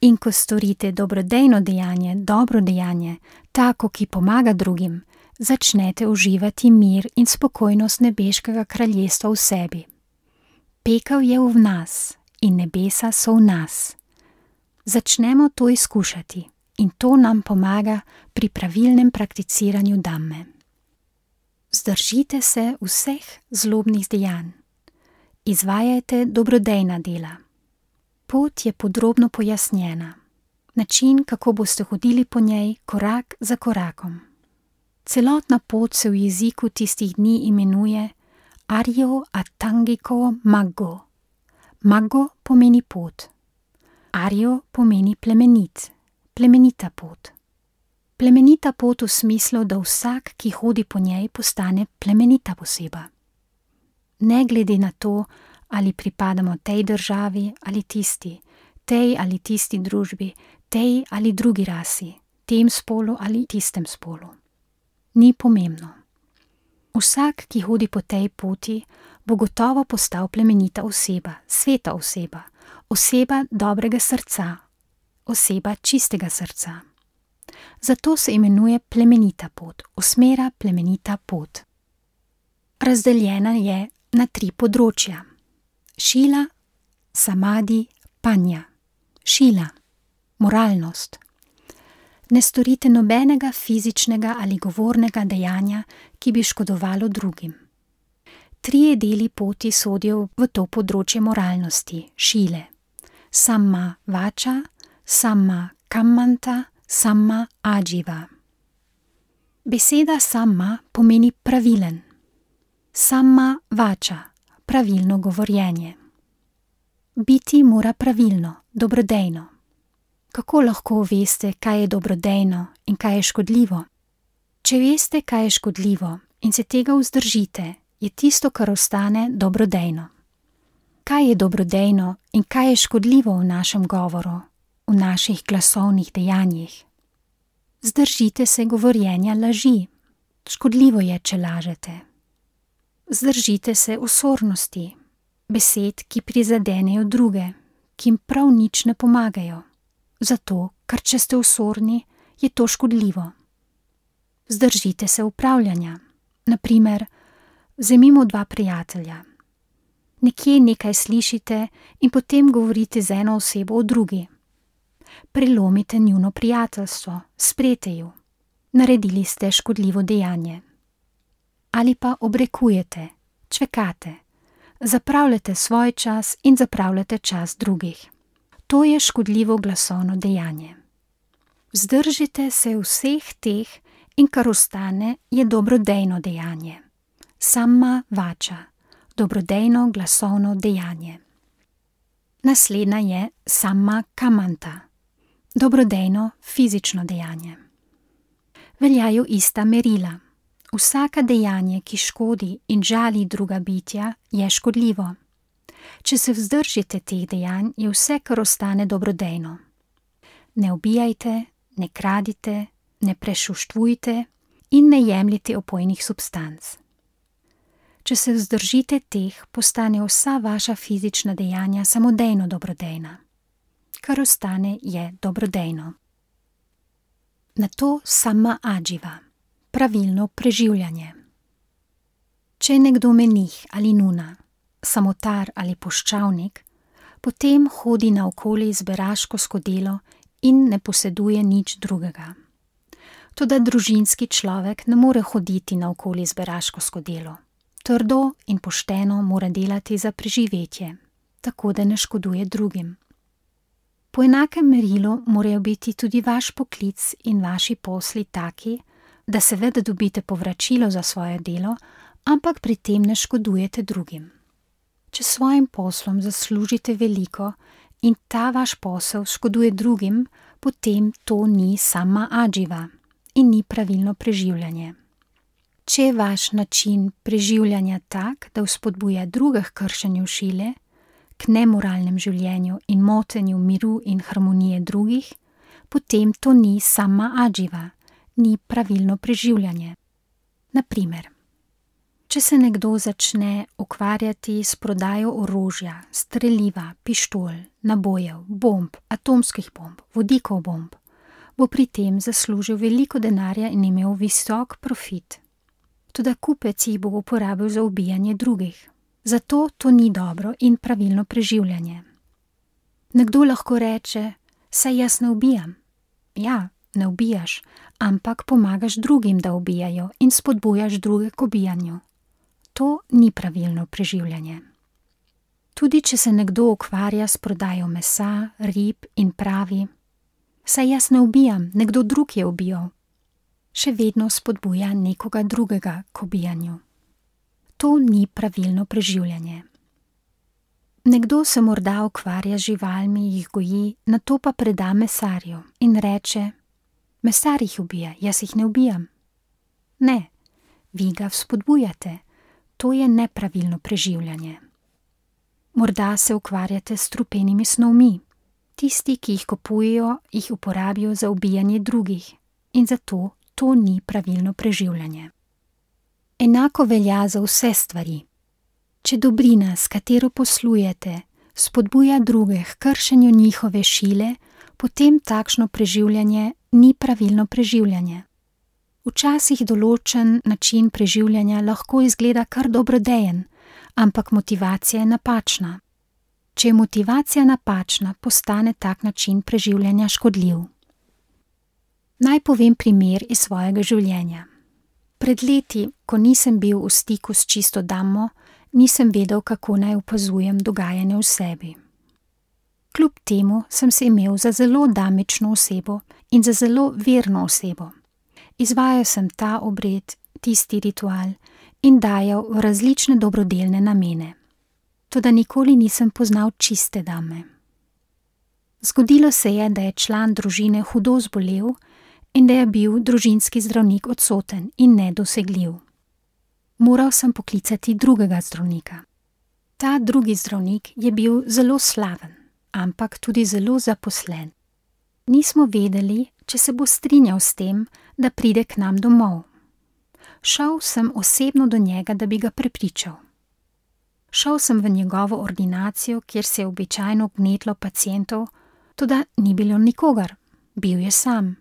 In ko storite dobrodejno dejanje, dobro dejanje, tako, ki pomaga drugim, začnete uživati mir in spokojnost nebeškega kraljestva v sebi. Pekel je v nas in nebesa so v nas. Začnemo to izkušati in to nam pomaga pri pravilnem prakticiranju Dhamme. Vzdržite se vseh zlobnih dejanj. Izvajajte dobrodejna dela. Pot je podrobno pojasnjena. Način, kako boste hodili po njej, korak za korakom. Celotna pot se v jeziku tistih dni imenuje Arjo Atangiko Maggo. Maggo pomeni pot. Arjo pomeni plemenit, plemenita pot. Plemenita pot v smislu, da vsak, ki hodi po njej, postane plemenita oseba. Ne glede na to, ali pripadamo tej državi ali tisti, tej ali tisti družbi, tej ali drugi rasi, tem spolu ali tistem spolu. Ni pomembno. Vsak, ki hodi po tej poti, bo gotovo postal plemenita oseba, sveta oseba, oseba dobrega srca, oseba čistega srca. Zato se imenuje plemenita pot, osmera plemenita pot. Razdeljena je na tri področja. Šila, samadi, panja. Šila, moralnost. Ne storite nobenega fizičnega ali govornega dejanja, ki bi škodovalo drugim. Trije deli poti sodijo v to področje moralnosti, šile. Samma vača, samma kammanta, samma ajiva. Beseda samma pomeni pravilen. Samma vača, pravilno govorjenje. Biti mora pravilno, dobrodejno. Kako lahko veste, kaj je dobrodejno in kaj je škodljivo? Če veste, kaj je škodljivo in se tega vzdržite, je tisto, kar ostane, dobrodejno. Kaj je dobrodejno in kaj je škodljivo v našem govoru, v naših glasovnih dejanjih? Zdržite se govorjenja laži. Škodljivo je, če lažete. Zdržite se osornosti, besed, ki prizadenejo druge, ki jim prav nič ne pomagajo. Zato, ker če ste osorni, je to škodljivo. Zdržite se upravljanja. Naprimer, vzemimo dva prijatelja. Nekje nekaj slišite in potem govorite z eno osebo o drugi. Prelomite njuno prijateljstvo, sprete ju. Naredili ste škodljivo dejanje. Ali pa obrekujete, čvekate, zapravljate svoj čas in zapravljate čas drugih. To je škodljivo glasovno dejanje. Vzdržite se vseh teh in kar ostane je dobrodejno dejanje. Samma vača, dobrodejno glasovno dejanje. Naslednja je samma kammanta, dobrodejno fizično dejanje. Veljajo ista merila. Vsaka dejanje, ki škodi in žali druga bitja, je škodljivo. Če se vzdržite teh dejanj, je vse, kar ostane, dobrodejno. Ne ubijajte, ne kradite, ne prešuštvujte in ne jemljite opojnih substanc. Če se vzdržite teh, postane vsa vaša fizična dejanja samodejno dobrodejna. Kar ostane, je dobrodejno. Nato samma ajiva, pravilno preživljanje. Če je nekdo menih ali nuna, samotar ali puščavnik, potem hodi naokoli z beraško skodelo in ne poseduje nič drugega. Toda družinski človek ne more hoditi naokoli z beraško skodelo. Trdo in pošteno mora delati za preživetje, tako da ne škoduje drugim. Po enakem merilu morajo biti tudi vaš poklic in vaši posli taki, da seveda dobite povračilo za svoje delo, ampak pri tem ne škodujete drugim. Če s svojim poslom zaslužite veliko in ta vaš posel škoduje drugim, potem to ni samma ajiva in ni pravilno preživljanje. Če je vaš način preživljanja tak, da vzpodbuja druge k kršenju šile, k nemoralnem življenju in motenju miru in harmonije drugih, potem to ni samma ajiva, ni pravilno preživljanje. Naprimer, če se nekdo začne ukvarjati s prodajo orožja, streliva, pištol, nabojev, bomb, atomskih bomb, vodikov bomb, bo pri tem zaslužil veliko denarja in imel visok profit. Toda kupec jih bo uporabil za ubijanje drugih. Zato to ni dobro in pravilno preživljanje. Nekdo lahko reče, saj jaz ne ubijam. Ja, ne ubijaš, ampak pomagaš drugim, da ubijajo in spodbujaš druge k ubijanju. To ni pravilno preživljanje. Tudi če se nekdo ukvarja s prodajo mesa, rib in pravi, saj jaz ne ubijam, nekdo drug je ubijal, še vedno spodbuja nekoga drugega k ubijanju. To ni pravilno preživljanje. Nekdo se morda ukvarja z živalmi, jih goji, nato pa preda mesarju in reče, mesar jih ubija, jaz jih ne ubijam. Ne, vi ga vzpodbujate, to je nepravilno preživljanje. Morda se ukvarjate s strupenimi snovmi. Tisti, ki jih kupujejo, jih uporabijo za ubijanje drugih in zato to ni pravilno preživljanje. Enako velja za vse stvari. Če dobrina, s katero poslujete, spodbuja druge k kršenju njihove šile, potem takšno preživljanje ni pravilno preživljanje. Včasih določen način preživljanja lahko izgleda kar dobrodejen, ampak motivacija je napačna. Če je motivacija napačna, postane tak način preživljanja škodljiv. Naj povem primer iz svojega življenja. Pred leti, ko nisem bil v stiku s čisto damo, nisem vedel, kako naj opazujem dogajanje v sebi. Kljub temu sem se imel za zelo damično osebo in za zelo verno osebo. Izvajal sem ta obred, tisti ritual in dajal v različne dobrodelne namene. Toda nikoli nisem poznal čiste dame. Zgodilo se je, da je član družine hudo zbolel in da je bil družinski zdravnik odsoten in nedosegljiv. Moral sem poklicati drugega zdravnika. Ta drugi zdravnik je bil zelo slaven, ampak tudi zelo zaposlen. Nismo vedeli, če se bo strinjal s tem, da pride k nam domov. Šel sem osebno do njega, da bi ga prepričal. Šel sem v njegovo ordinacijo, kjer se je običajno gnetlo pacientov, toda ni bilo nikogar, bil je sam.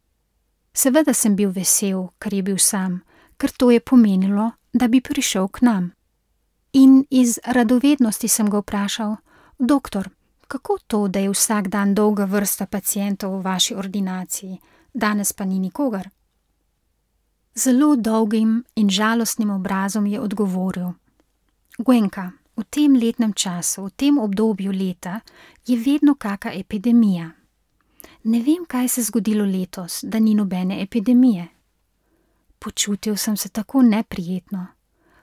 Seveda sem bil vesel, ker je bil sam, ker to je pomenilo, da bi prišel k nam. In iz radovednosti sem ga vprašal: doktor, kako to, da je vsak dan dolga vrsta pacientov v vaši ordinaciji, danes pa ni nikogar? Zelo dolgim in žalostnim obrazom je odgovoril: Gwenka, v tem letnem času, v tem obdobju leta, je vedno kaka epidemija. Ne vem, kaj se je zgodilo letos, da ni nobene epidemije. Počutil sem se tako neprijetno.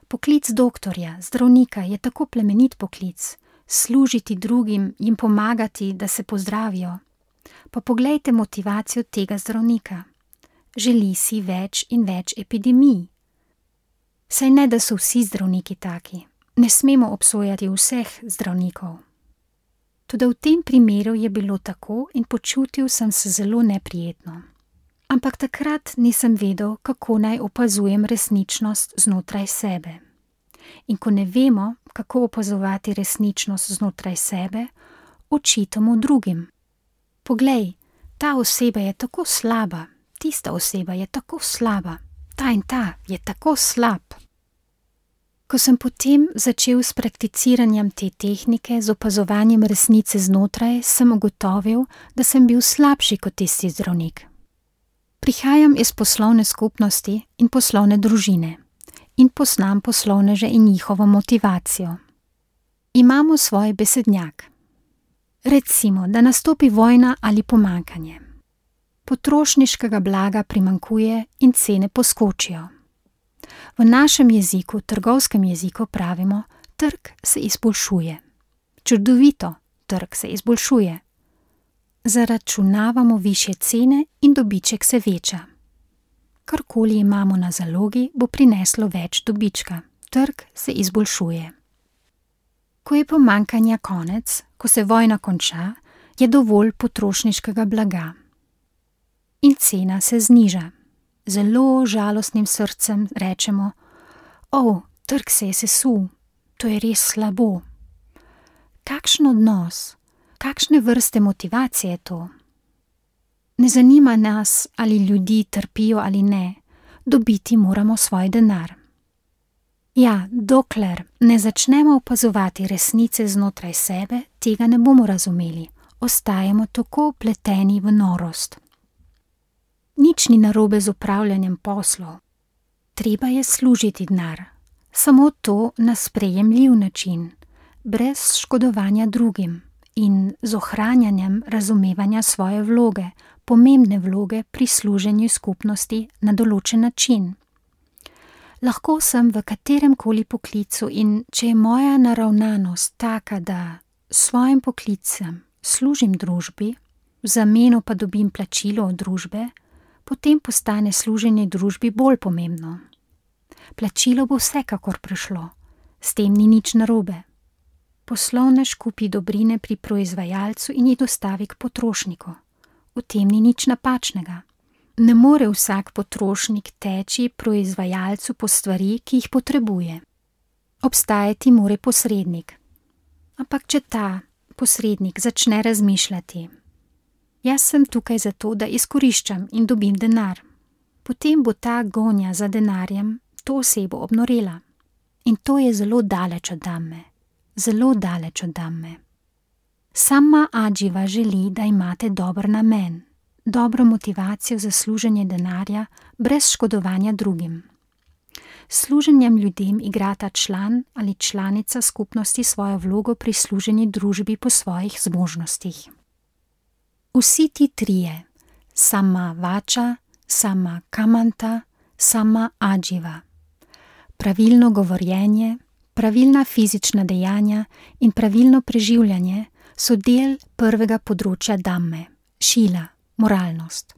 Poklic doktorja, zdravnika je tako plemenit poklic, služiti drugim, jim pomagati, da se pozdravijo. Pa poglejte motivacijo tega zdravnika. Želi si več in več epidemij. Saj ne, da so vsi zdravniki taki. Ne smemo obsojati vseh zdravnikov. Toda v tem primeru je bilo tako in počutil sem se zelo neprijetno. Ampak takrat nisem vedel, kako naj opazujem resničnost znotraj sebe. In ko ne vemo, kako opazovati resničnost znotraj sebe, očitamo drugim. Poglej, ta oseba je tako slaba, tista oseba je tako slaba, ta in ta je tako slab. Ko sem potem začel s prakticiranjem te tehnike, z opazovanjem resnice znotraj, sem ugotovil, da sem bil slabši kot tisti zdravnik. Prihajam iz poslovne skupnosti in poslovne družine in poznam poslovneže in njihovo motivacijo. Imamo svoj besednjak. Recimo, da nastopi vojna ali pomanjkanje. Potrošniškega blaga primanjkuje in cene poskočijo. V našem jeziku, trgovskem jeziku pravimo, trg se izboljšuje. Čudovito, trg se izboljšuje. Zaračunavamo višje cene in dobiček se veča. Karkoli imamo na zalogi, bo prineslo več dobička. Trg se izboljšuje. Ko je pomanjkanja konec, ko se vojna konča, je dovolj potrošniškega blaga. In cena se zniža. Zelo žalostnim srcem rečemo: O, trg se je sesul, to je res slabo. Kakšen odnos, kakšne vrste motivacije je to? Ne zanima nas, ali ljudi trpijo ali ne, dobiti moramo svoj denar. Ja, dokler ne začnemo opazovati resnice znotraj sebe, tega ne bomo razumeli, ostajamo tako vpleteni v norost. Nič ni narobe z upravljanjem poslov. Treba je služiti denar, samo to na sprejemljiv način, brez škodovanja drugim in z ohranjanjem razumevanja svoje vloge, pomembne vloge pri služenju skupnosti na določen način. Lahko sem v katerem koli poklicu in če je moja naravnanost taka, da s svojim poklicem služim družbi, v zameno pa dobim plačilo od družbe, potem postane služenje družbi bolj pomembno. Plačilo bo vsekakor prišlo, s tem ni nič narobe. poslovnež kupi dobrine pri proizvajalcu in jih dostavi k potrošniku. V tem ni nič napačnega. Ne more vsak potrošnik teči proizvajalcu po stvari, ki jih potrebuje. Obstajati more posrednik. Ampak če ta posrednik začne razmišljati: jaz sem tukaj zato, da izkoriščam in dobim denar, potem bo ta gonja za denarjem to osebo obnorela. In to je zelo daleč od dame. Zelo daleč od dame. Sama Adživa želi, da imate dober namen, dobro motivacijo za služenje denarja brez škodovanja drugim. Služenjem ljudem igrata član ali članica skupnosti svojo vlogo pri služenju družbi po svojih zmožnostih. Vsi ti trije, sama Vača, sama Kamanta, sama Adživa, pravilno govorjenje, pravilna fizična dejanja in pravilno preživljanje so del prvega področja Dhamme, šila, moralnost.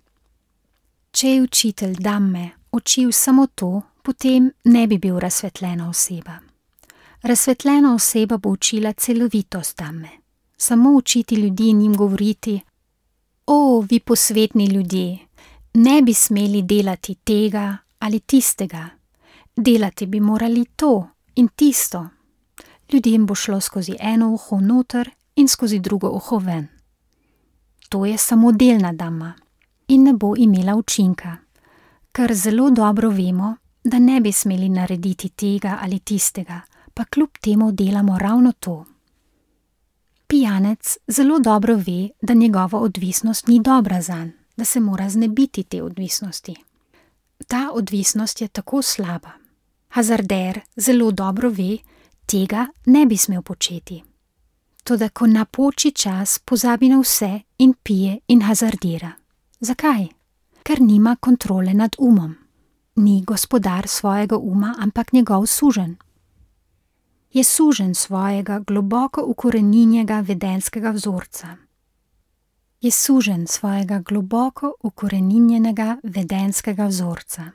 Če je učitelj Dhamme učil samo to, potem ne bi bil razsvetljena oseba. Razsvetljena oseba bo učila celovitost Dhamme. Samo učiti ljudi in jim govoriti: o, vi posvetni ljudje, ne bi smeli delati tega ali tistega, delati bi morali to in tisto. Ljudem bo šlo skozi eno uho noter in skozi drugo uho ven. To je samo delna Dhamma in ne bo imela učinka, ker zelo dobro vemo, da ne bi smeli narediti tega ali tistega, pa kljub temu delamo ravno to. Pijanec zelo dobro ve, da njegova odvisnost ni dobra zanj, da se mora znebiti te odvisnosti. Ta odvisnost je tako slaba. Hazarder zelo dobro ve, tega ne bi smel početi. Toda ko napoči čas, pozabi na vse in pije in hazardira. Zakaj? Ker nima kontrole nad umom. Ni gospodar svojega uma, ampak njegov suženj. Je suženj svojega globoko ukoreninjenega vedenskega vzorca. Je suženj svojega globoko ukoreninjenega vedenskega vzorca.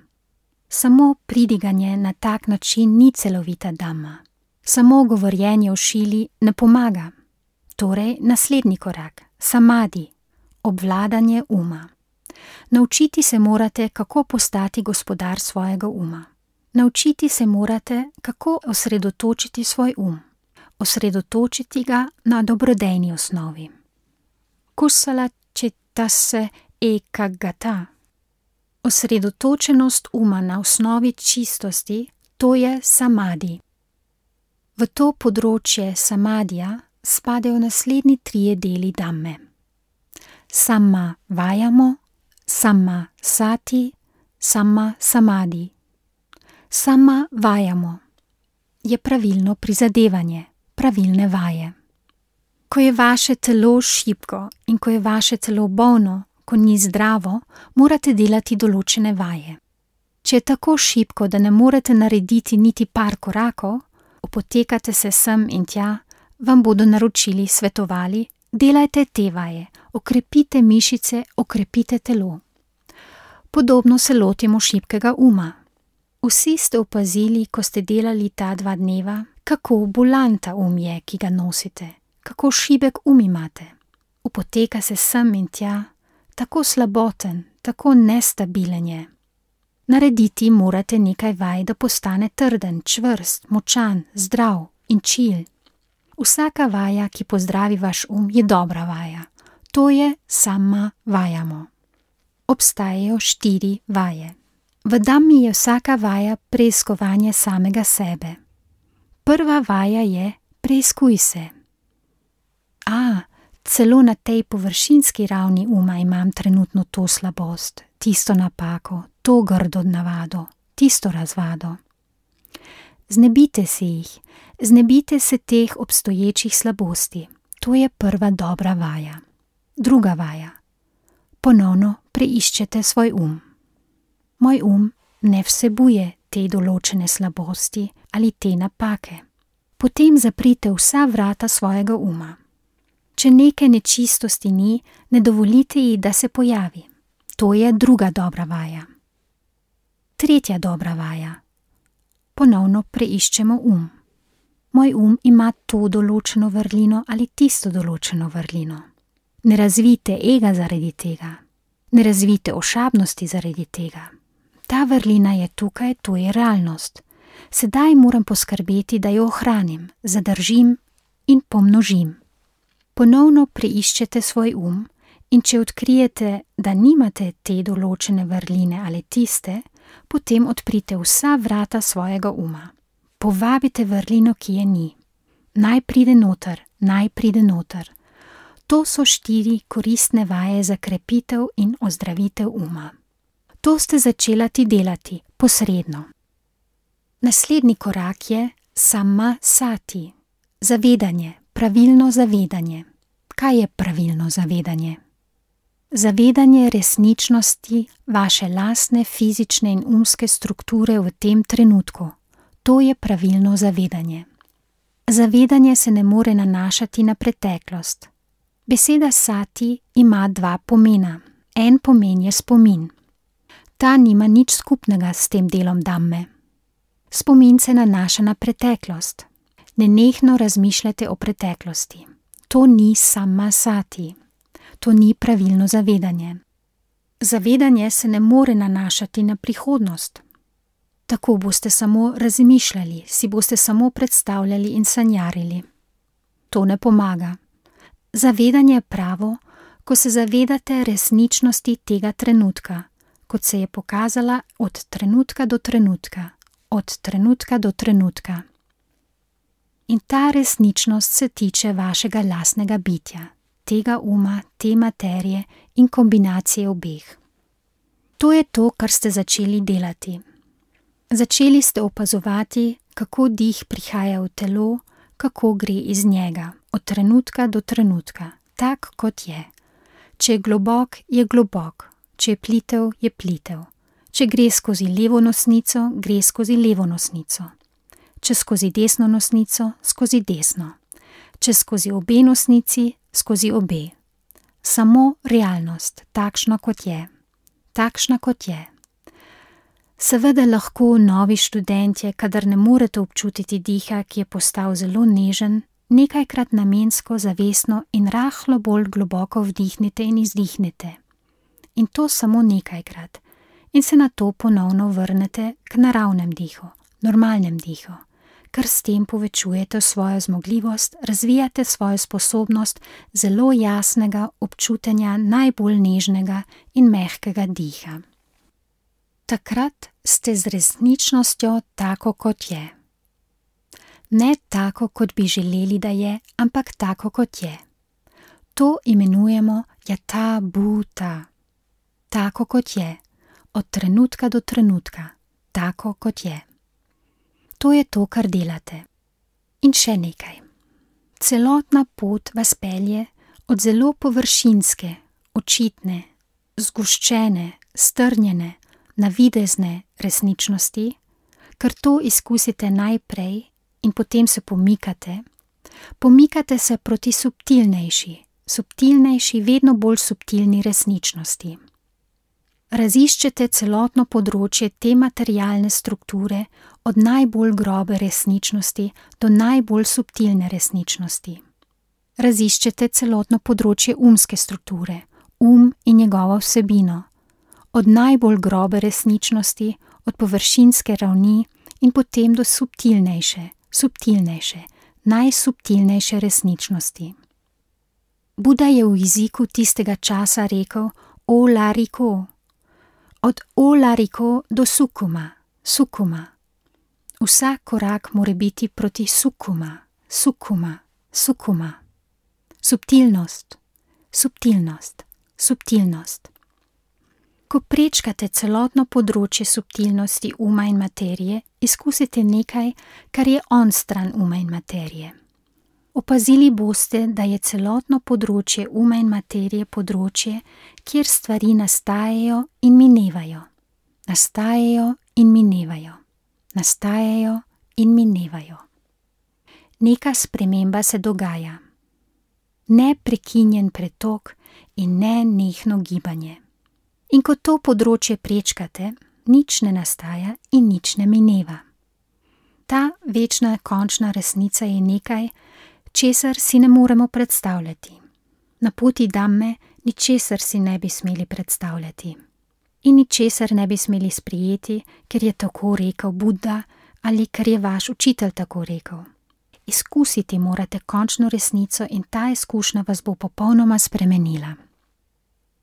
Samo pridiganje na tak način ni celovita Dhamma. Samo govorjenje o šili ne pomaga. Torej, naslednji korak, samadi, obvladanje uma. Naučiti se morate, kako postati gospodar svojega uma. Naučiti se morate, kako osredotočiti svoj um. Osredotočiti ga na dobrodejni osnovi. Kusala čitase ekagata. Osredotočenost uma na osnovi čistosti, to je samadi. V to področje samadija spadajo naslednji trije deli Dhamme. Sama vajamo, sama sati, sama samadi. Sama vajamo je pravilno prizadevanje, pravilne vaje. Ko je vaše telo šibko in ko je vaše telo bolno, ko ni zdravo, morate delati določene vaje. Če je tako šibko, da ne morete narediti niti par korakov, opotekate se sem in tja, vam bodo naročili, svetovali, delajte te vaje, okrepite mišice, okrepite telo. Podobno se lotimo šibkega uma. Vsi ste opazili, ko ste delali ta dva dneva, kako bolan ta um je, ki ga nosite, kako šibek um imate. Opoteka se sem in tja, tako slaboten, tako nestabilen je. Narediti morate nekaj vaj, da postane trden, čvrst, močan, zdrav in čil. Vsaka vaja, ki pozdravi vaš um, je dobra vaja. To je sama vajamo. Obstajajo štiri vaje. V Dhammi je vsaka vaja preiskovanje samega sebe. Prva vaja je preiskuj se. A, celo na tej površinski ravni uma imam trenutno to slabost, tisto napako, to grdo navado, tisto razvado. Znebite se jih, znebite se teh obstoječih slabosti. To je prva dobra vaja. Druga vaja. Ponovno preiščete svoj um. Moj um ne vsebuje te določene slabosti ali te napake. Potem zaprite vsa vrata svojega uma. Če neke nečistosti ni, ne dovolite ji, da se pojavi. To je druga dobra vaja. Tretja dobra vaja. Ponovno preiščemo um. moj um ima to določeno vrlino ali tisto določeno vrlino. Ne razvijte ega zaradi tega. Ne razvijte ošabnosti zaradi tega. Ta vrlina je tukaj, to je realnost. Sedaj moram poskrbeti, da jo ohranim, zadržim in pomnožim. Ponovno preiščete svoj um in če odkrijete, da nimate te določene vrline ali tiste, potem odprite vsa vrata svojega uma. Povabite vrlino, ki je ni. Naj pride noter, naj pride noter. To so štiri koristne vaje za krepitev in ozdravitev uma. To ste začelati delati posredno. Naslednji korak je sama sati. Zavedanje, pravilno zavedanje. Kaj je pravilno zavedanje? Zavedanje resničnosti vaše lastne fizične in umske strukture v tem trenutku. To je pravilno zavedanje. Zavedanje se ne more nanašati na preteklost. Beseda sati ima dva pomena. En pomen je spomin. Ta nima nič skupnega s tem delom dhamme. Spomin se nanaša na preteklost. Nenehno razmišljate o preteklosti. To ni sama sati. To ni pravilno zavedanje. Zavedanje se ne more nanašati na prihodnost. Tako boste samo razmišljali, si boste samo predstavljali in sanjarili. To ne pomaga. Zavedanje je pravo, ko se zavedate resničnosti tega trenutka, kot se je pokazala od trenutka do trenutka, od trenutka do trenutka. In ta resničnost se tiče vašega lastnega bitja, tega uma, te materije in kombinacije obeh. To je to, kar ste začeli delati. Začeli ste opazovati, kako dih prihaja v telo, kako gre iz njega, od trenutka do trenutka, tak kot je. Če je globok, je globok, če je plitev, je plitev. Če gre skozi levo nosnico, gre skozi levo nosnico. Če skozi desno nosnico, skozi desno. Če skozi obe nosnici, skozi obe. Samo realnost, takšna kot je. Takšna kot je. Seveda lahko novi študentje, kadar ne morete občutiti diha, ki je postal zelo nežen, nekajkrat namensko, zavestno in rahlo bolj globoko vdihnite in izdihnete. In to samo nekajkrat. In se na to ponovno vrnete k naravnem dihu, normalnem dihu, ker s tem povečujete svojo zmogljivost, razvijate svojo sposobnost zelo jasnega občutenja najbolj nežnega in mehkega diha. Takrat ste z resničnostjo tako, kot je. Ne tako, kot bi želeli, da je, ampak tako, kot je. To imenujemo yatha bhuta. Tako, kot je. Od trenutka do trenutka. Tako, kot je. To je to, kar delate. In še nekaj. Celotna pot vas pelje od zelo površinske, očitne, zgoščene, strnjene, navidezne resničnosti, ker to izkusite najprej in potem se pomikate, pomikate se proti subtilnejši, subtilnejši, vedno bolj subtilni resničnosti. Raziščete celotno področje te materialne strukture od najbolj grobe resničnosti do najbolj subtilne resničnosti. Raziščete celotno področje umske strukture, um in njegovo vsebino, od najbolj grobe resničnosti, od površinske ravni in potem do subtilnejše, subtilnejše, najsubtilnejše resničnosti. Buda je v jeziku tistega časa rekel o lariko, od o lariko do sukuma, sukuma. Vsak korak mora biti proti sukuma, sukuma, sukuma. Subtilnost, subtilnost, subtilnost. Ko prečkate celotno področje subtilnosti uma in materije, izkusite nekaj, kar je onstran uma in materije. Opazili boste, da je celotno področje uma in materije področje, kjer stvari nastajajo in minevajo. Nastajajo in minevajo. Nastajajo in minevajo. Neka sprememba se dogaja. Neprekinjen pretok in nenehno gibanje. In ko to področje prečkate, nič ne nastaja in nič ne mineva. ta večna končna resnica je nekaj, česar si ne moremo predstavljati. Na poti Dhamme ničesar si ne bi smeli predstavljati. In ničesar ne bi smeli sprijeti, ker je tako rekel Buddha ali ker je vaš učitelj tako rekel. Izkusiti morate končno resnico in ta izkušnja vas bo popolnoma spremenila.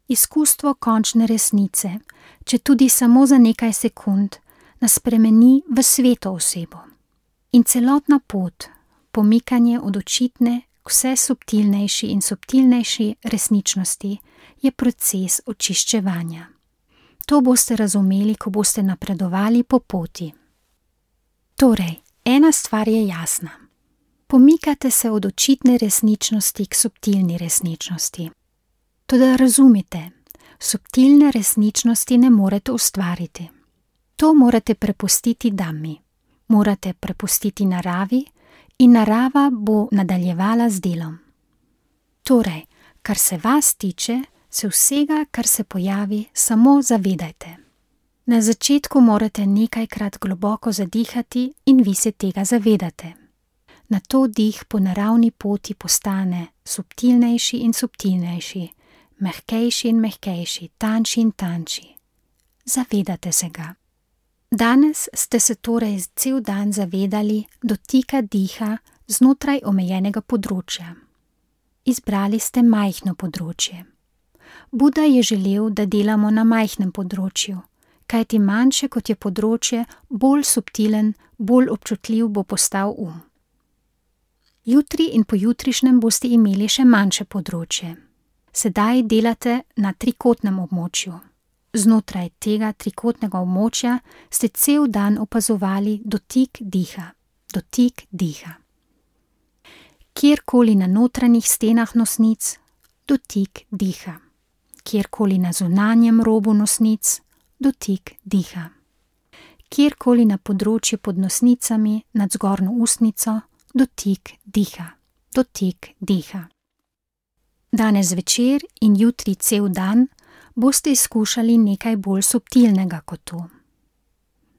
Izkustvo končne resnice, če tudi samo za nekaj sekund, nas spremeni v sveto osebo. In celotna pot, pomikanje od očitne k vse subtilnejši in subtilnejši resničnosti, je proces očiščevanja. To boste razumeli, ko boste napredovali po poti. Torej, ena stvar je jasna. Pomikate se od očitne resničnosti k subtilni resničnosti. Toda razumite, subtilne resničnosti ne morete ustvariti. To morate prepustiti Dhammi, morate prepustiti naravi in narava bo nadaljevala z delom. Torej, kar se vas tiče, se vsega, kar se pojavi, samo zavedajte. Na začetku morate nekajkrat globoko zadihati in vi se tega zavedate. Nato dih po naravni poti postane subtilnejši in subtilnejši, mehkejši in mehkejši, tanjši in tanjši. Zavedate se ga. Danes ste se torej cel dan zavedali dotika diha znotraj omejenega področja. Izbrali ste majhno področje. Buddha je želel, da delamo na majhnem področju, kajti manjše kot je področje, bolj subtilen, bolj občutljiv bo postal um. Jutri in pojutrišnjem boste imeli še manjše področje. Sedaj delate na trikotnem območju. Znotraj tega trikotnega območja ste cel dan opazovali dotik diha, dotik diha. Kjerkoli na notranjih stenah nosnic, dotik diha. Kjerkoli na zunanjem robu nosnic, dotik diha. Kjerkoli na področju pod nosnicami nad zgornjo ustnico, dotik diha, dotik diha. Danes zvečer in jutri cel dan boste izkušali nekaj bolj subtilnega kot to.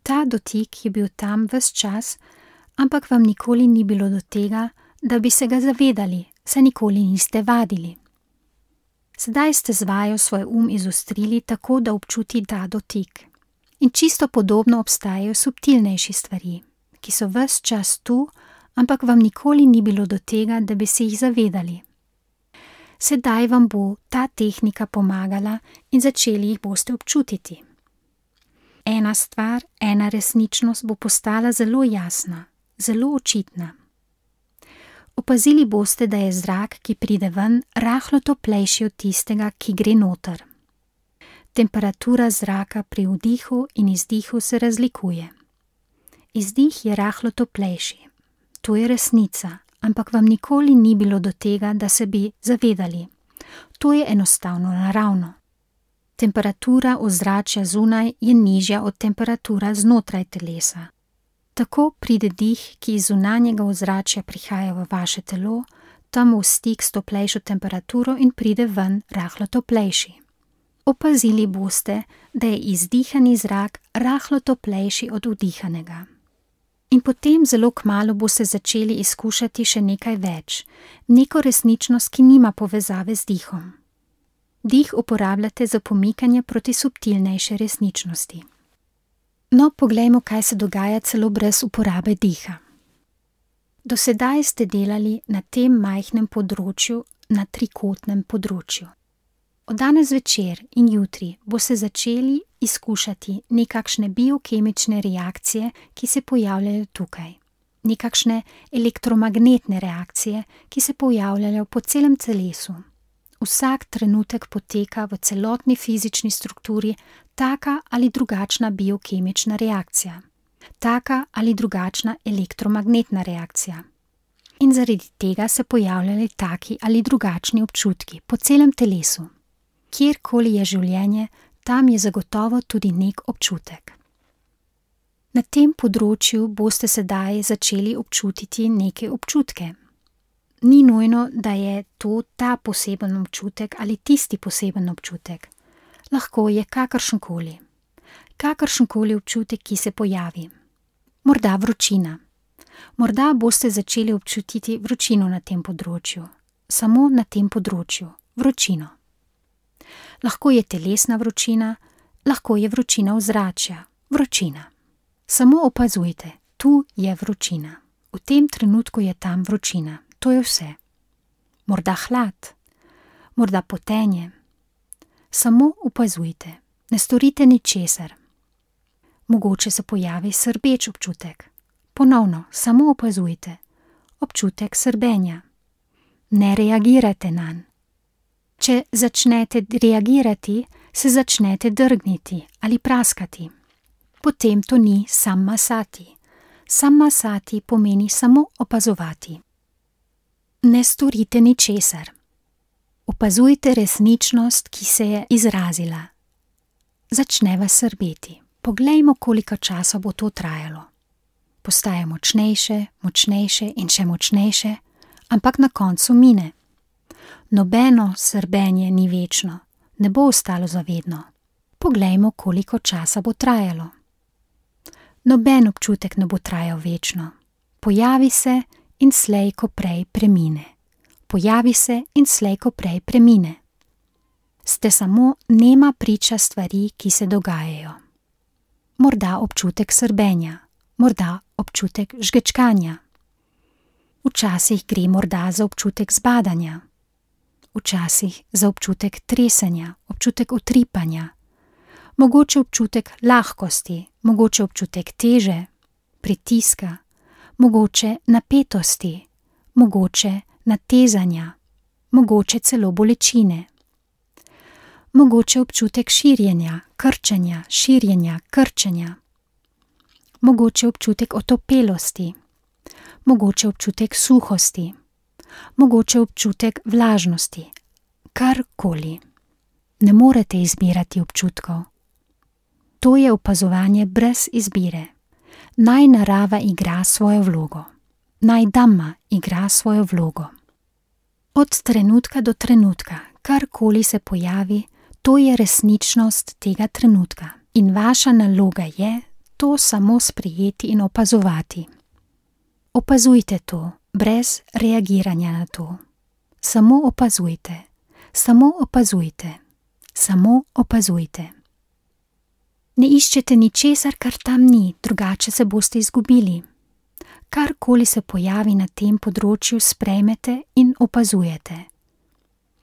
Ta dotik je bil tam ves čas, ampak vam nikoli ni bilo do tega, da bi se ga zavedali, saj nikoli niste vadili. Sedaj ste z vajo svoj um izostrili tako, da občuti ta dotik. In čisto podobno obstajajo subtilnejši stvari, ki so ves čas tu, ampak vam nikoli ni bilo do tega, da bi se jih zavedali. Sedaj vam bo ta tehnika pomagala in začeli jih boste občutiti. Ena stvar, ena resničnost bo postala zelo jasna, zelo očitna. Opazili boste, da je zrak, ki pride ven, rahlo toplejši od tistega, ki gre noter. Temperatura zraka pri vdihu in izdihu se razlikuje. Izdih je rahlo toplejši. To je resnica, ampak vam nikoli ni bilo do tega, da se bi zavedali. To je enostavno naravno. Temperatura ozračja zunaj je nižja od temperatura znotraj telesa. Tako pride dih, ki iz zunanjega ozračja prihaja v vaše telo, tam v stik s toplejšo temperaturo in pride ven rahlo toplejši. Opazili boste, da je izdihani zrak rahlo toplejši od vdihanega. In potem zelo kmalu boste začeli izkušati še nekaj več, neko resničnost, ki nima povezave z dihom. Dih uporabljate za pomikanje proti subtilnejše resničnosti. No, poglejmo, kaj se dogaja celo brez uporabe diha. Do sedaj ste delali na tem majhnem področju, na trikotnem področju. Od danes večer in jutri boste začeli izkušati nekakšne biokemične reakcije, ki se pojavljajo tukaj. Nekakšne elektromagnetne reakcije, ki se pojavljajo po celem telesu. Vsak trenutek poteka v celotni fizični strukturi taka ali drugačna biokemična reakcija, taka ali drugačna elektromagnetna reakcija. In zaradi tega se pojavljajo taki ali drugačni občutki po celem telesu. Kjerkoli je življenje, tam je zagotovo tudi nek občutek. Na tem področju boste sedaj začeli občutiti neke občutke. Ni nujno, da je to ta poseben občutek ali tisti poseben občutek. Lahko je kakršenkoli. Kakršenkoli občutek, ki se pojavi. Morda vročina, Morda boste začeli občutiti vročino na tem področju, samo na tem področju, vročino. Lahko je telesna vročina, lahko je vročina ozračja, vročina. Samo opazujte, tu je vročina. V tem trenutku je tam vročina, to je vse. Morda hlad, morda potenje. Samo opazujte, ne storite ničesar. Mogoče se pojavi srbeč občutek. Ponovno, samo opazujte, občutek srbenja. Ne reagirajte nanj. Če začnete reagirati, se začnete drgniti ali praskati. Potem to ni sammasati. Sammasati pomeni samo opazovati. Ne storite ničesar. Opazujte resničnost, ki se je izrazila. Začne vas srbeti. Poglejmo, koliko časa bo to trajalo. Postaje močnejše, močnejše in še močnejše, ampak na koncu mine. Nobeno srbenje ni večno, ne bo ostalo zavedno. Poglejmo, koliko časa bo trajalo. Noben občutek ne bo trajal večno. Pojavi se in slej ko prej premine. Pojavi se in slej ko prej premine. Ste samo nema priča stvari, ki se dogajajo. Morda občutek srbenja, morda občutek žgečkanja. Včasih gre morda za občutek zbadanja. Včasih za občutek tresenja, občutek utripanja. Mogoče občutek lahkosti, mogoče občutek teže, pritiska, mogoče napetosti, mogoče natezanja, mogoče celo bolečine. Mogoče občutek širjenja, krčenja, širjenja, krčenja. Mogoče občutek otopelosti, mogoče občutek suhosti, mogoče občutek vlažnosti, karkoli. Ne morete izbirati občutkov. To je opazovanje brez izbire. Naj narava igra svojo vlogo. Naj Dhamma igra svojo vlogo. Od trenutka do trenutka, karkoli se pojavi, to je resničnost tega trenutka. In vaša naloga je to samo sprejeti in opazovati. Opazujte to, brez reagiranja na to. Samo opazujte, samo opazujte, samo opazujte. Ne iščete ničesar, kar tam ni, drugače se boste izgubili. Karkoli se pojavi na tem področju, sprejmete in opazujete.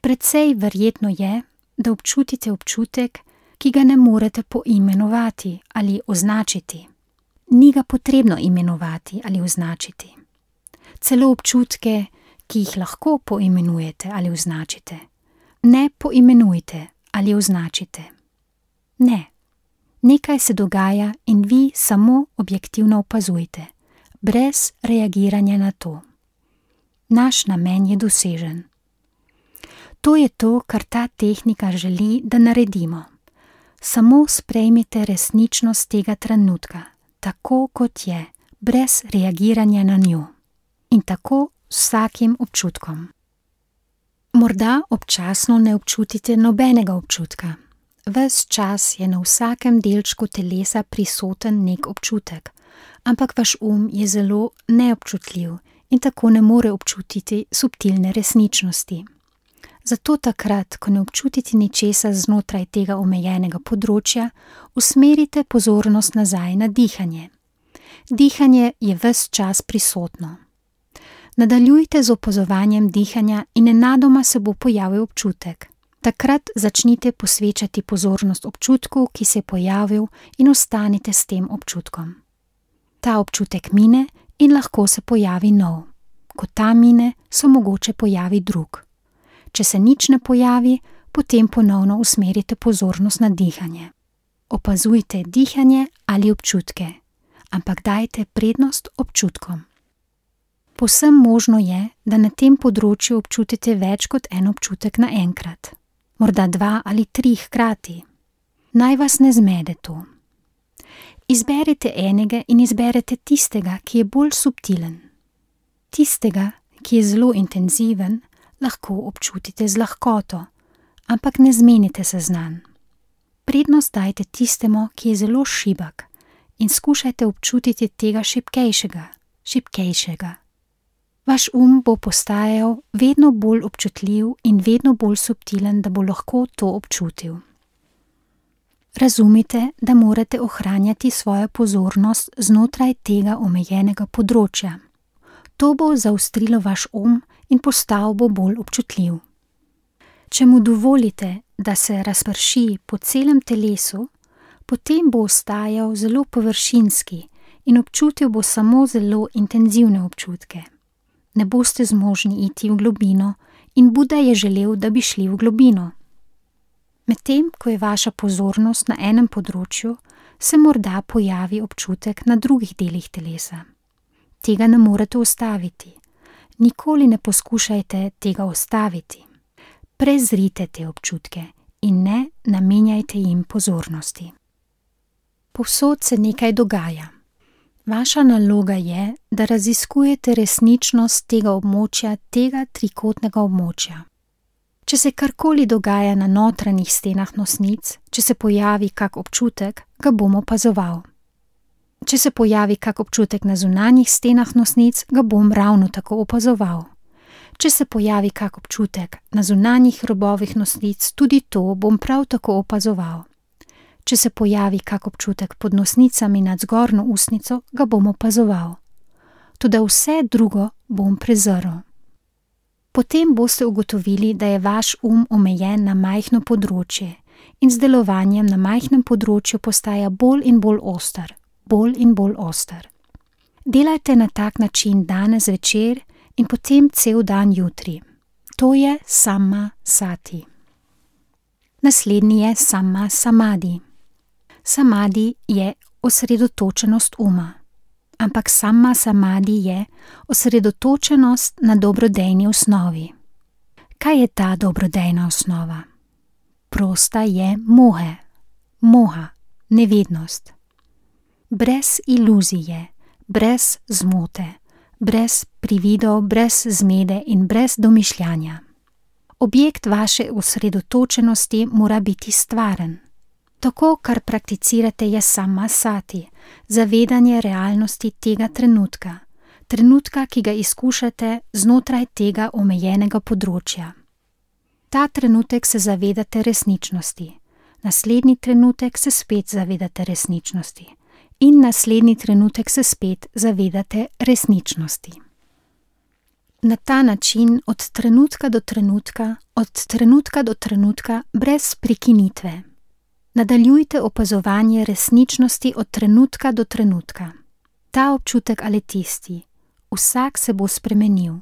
Precej verjetno je, da občutite občutek, ki ga ne morete poimenovati ali označiti. Ni ga potrebno imenovati ali označiti. Celo občutke, ki jih lahko poimenujete ali označite, ne poimenujte ali označite. Ne. Nekaj se dogaja in vi samo objektivno opazujte, brez reagiranja na to. Naš namen je dosežen. To je to, kar ta tehnika želi, da naredimo. Samo sprejmite resničnost tega trenutka, tako kot je, brez reagiranja na njo. In tako s vsakim občutkom. Morda občasno ne občutite nobenega občutka. Ves čas je na vsakem delčku telesa prisoten nek občutek, ampak vaš um je zelo neobčutljiv in tako ne more občutiti subtilne resničnosti. Zato takrat, ko ne občutite ničesar znotraj tega omejenega področja, usmerite pozornost nazaj na dihanje. Dihanje je ves čas prisotno. Nadaljujte z opazovanjem dihanja in nenadoma se bo pojavil občutek. Takrat začnite posvečati pozornost občutku, ki se je pojavil, in ostanite s tem občutkom. Ta občutek mine in lahko se pojavi nov. Ko ta mine, se mogoče pojavi drug. Če se nič ne pojavi, potem ponovno usmerite pozornost na dihanje. Opazujte dihanje ali občutke, ampak dajte prednost občutkom. Povsem možno je, da na tem področju občutite več kot en občutek naenkrat. Morda dva ali tri hkrati. Naj vas ne zmede to. Izberite enega in izberete tistega, ki je bolj subtilen. Tistega, ki je zelo intenziven, lahko občutite z lahkoto, ampak ne zmenite se z nanj. Prednost dajte tistemu, ki je zelo šibak, in skušajte občutiti tega šibkejšega, šibkejšega. Vaš um bo postajal vedno bolj občutljiv in vedno bolj subtilen, da bo lahko to občutil. Razumite, da morate ohranjati svojo pozornost znotraj tega omejenega področja. To bo zaostrilo vaš um in postal bo bolj občutljiv. Če mu dovolite, da se razprši po celem telesu, potem bo ostajal zelo površinski in občutil bo samo zelo intenzivne občutke. Ne boste zmožni iti v globino in Buda je želel, da bi šli v globino. Medtem, ko je vaša pozornost na enem področju, se morda pojavi občutek na drugih delih telesa. Tega ne morete ustaviti. Nikoli ne poskušajte tega ustaviti. Prezrite te občutke in ne namenjajte jim pozornosti. Povsod se nekaj dogaja. Vaša naloga je, da raziskujete resničnost tega območja, tega trikotnega območja. Če se karkoli dogaja na notranjih stenah nosnic, če se pojavi kak občutek, ga bom opazoval. Če se pojavi kak občutek na zunanjih stenah nosnic, ga bom ravno tako opazoval. Če se pojavi kak občutek na zunanjih robovih nosnic, tudi to bom prav tako opazoval. Če se pojavi kak občutek pod nosnicami nad zgornjo ustnico, ga bom opazoval. Toda vse drugo bom prezrl. Potem boste ugotovili, da je vaš um omejen na majhno področje in z delovanjem na majhnem področju postaja bolj in bolj oster, bolj in bolj oster. Delajte na tak način danes večer in potem cel dan jutri. To je samma sati. Naslednji je samma samadi. Samadi je osredotočenost uma, ampak samma samadi je osredotočenost na dobrodejni osnovi. Kaj je ta dobrodejna osnova? Prosta je mohe, moha, nevednost. Brez iluzije, brez zmote, brez prividov, brez zmede in brez domišljanja. Objekt vaše osredotočenosti mora biti stvaren. Tako, kar prakticirate, je samma sati, zavedanje realnosti tega trenutka, trenutka, ki ga izkušate znotraj tega omejenega področja. Ta trenutek se zavedate resničnosti, naslednji trenutek se spet zavedate resničnosti in naslednji trenutek se spet zavedate resničnosti. Na ta način od trenutka do trenutka, od trenutka do trenutka, brez prekinitve. Nadaljujte opazovanje resničnosti od trenutka do trenutka. Ta občutek ali tisti, vsak se bo spremenil.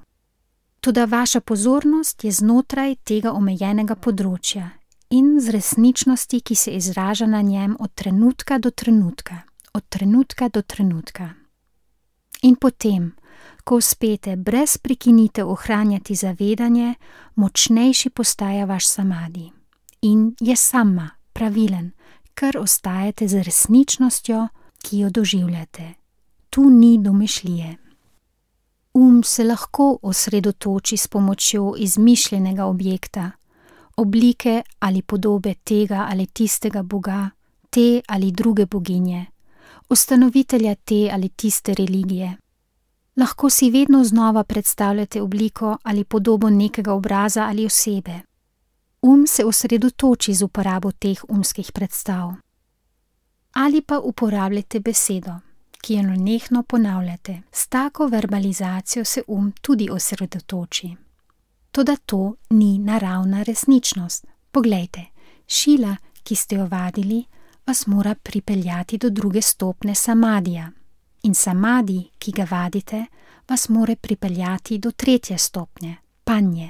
Toda vaša pozornost je znotraj tega omejenega področja in z resničnosti, ki se izraža na njem od trenutka do trenutka, od trenutka do trenutka. In potem, ko uspete brez prekinitev ohranjati zavedanje, močnejši postaja vaš samadi in je samma, pravilen, ker ostajate z resničnostjo, ki jo doživljate. Tu ni domišljije. Um se lahko osredotoči s pomočjo izmišljenega objekta, oblike ali podobe tega ali tistega boga, te ali druge boginje, ustanovitelja te ali tiste religije. Lahko si vedno znova predstavljate obliko ali podobo nekega obraza ali osebe. Um se osredotoči z uporabo teh umskih predstav. Ali pa uporabljate besedo, ki jo nenehno ponavljate. S tako verbalizacijo se um tudi osredotoči. Toda to ni naravna resničnost. Poglejte, šila, ki ste jo vadili, vas mora pripeljati do druge stopne samadija. In samadi, ki ga vadite, vas mora pripeljati do tretje stopnje, panje.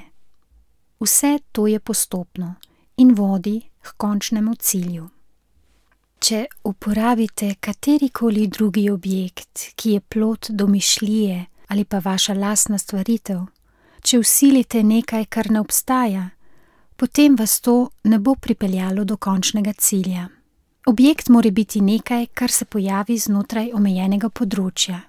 Vse to je postopno in vodi k končnemu cilju. Če uporabite katerikoli drugi objekt, ki je plod domišljije ali pa vaša lastna stvaritev, če vsilite nekaj, kar ne obstaja, potem vas to ne bo pripeljalo do končnega cilja. Objekt mora biti nekaj, kar se pojavi znotraj omejenega področja.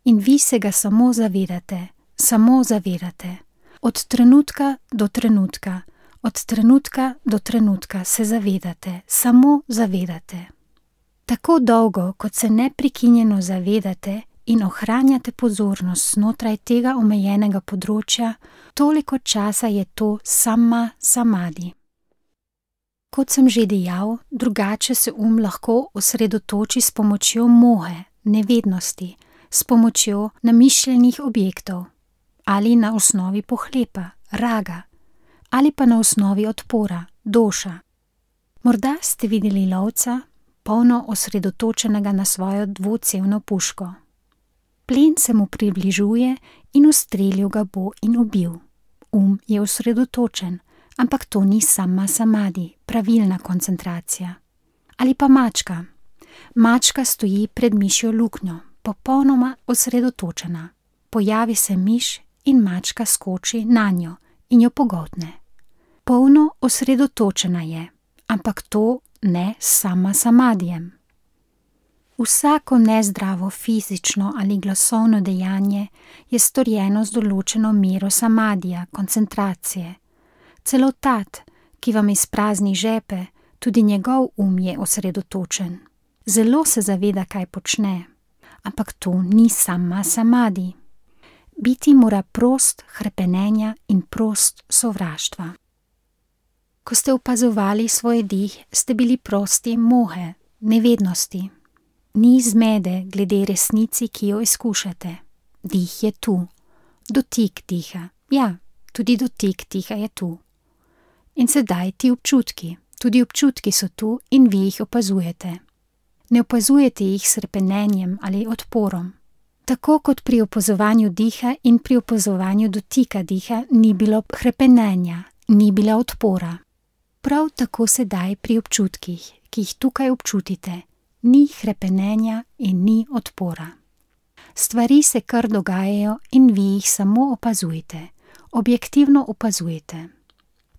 In vi se ga samo zavedate, samo zavedate. Od trenutka do trenutka, od trenutka do trenutka se zavedate, samo zavedate. Tako dolgo, kot se neprekinjeno zavedate in ohranjate pozornost znotraj tega omejenega področja, toliko časa je to samma samadi. Kot sem že dejal, drugače se um lahko osredotoči s pomočjo mohe, nevednosti, s pomočjo namišljenih objektov, ali na osnovi pohlepa, raga, ali pa na osnovi odpora, doša. Morda ste videli lovca, polno osredotočenega na svojo dvocevno puško. Plen se mu približuje in ustrelil ga bo in ubil. Um je osredotočen, ampak to ni samma samadi, pravilna koncentracija. Ali pa mačka. Mačka stoji pred mišjo luknjo, popolnoma osredotočena. Pojavi se miš in mačka skoči nanjo in jo pogoltne. Polno osredotočena je, ampak to ne samma samadijem. Vsako nezdravo fizično ali glasovno dejanje je storjeno z določeno mero samadija, koncentracije. Celo tat, ki vam izprazni žepe, tudi njegov um je osredotočen. Zelo se zaveda, kaj počne, ampak to ni samma samadi. Biti mora prost hrepenenja in prost sovraštva. Ko ste opazovali svoj dih, ste bili prosti mohe, nevednosti. Ni zmede glede resnici, ki jo izkušate. Dih je tu. Dotik diha. Ja, tudi dotik diha je tu. In sedaj ti občutki. Tudi občutki so tu in vi jih opazujete. Ne opazujete jih s repenenjem ali odporom. Tako kot pri opazovanju diha in pri opazovanju dotika diha ni bilo hrepenenja, ni bila odpora. Prav tako sedaj pri občutkih, ki jih tukaj občutite, ni hrepenenja in ni odpora. Stvari se kar dogajajo in vi jih samo opazujete, objektivno opazujete.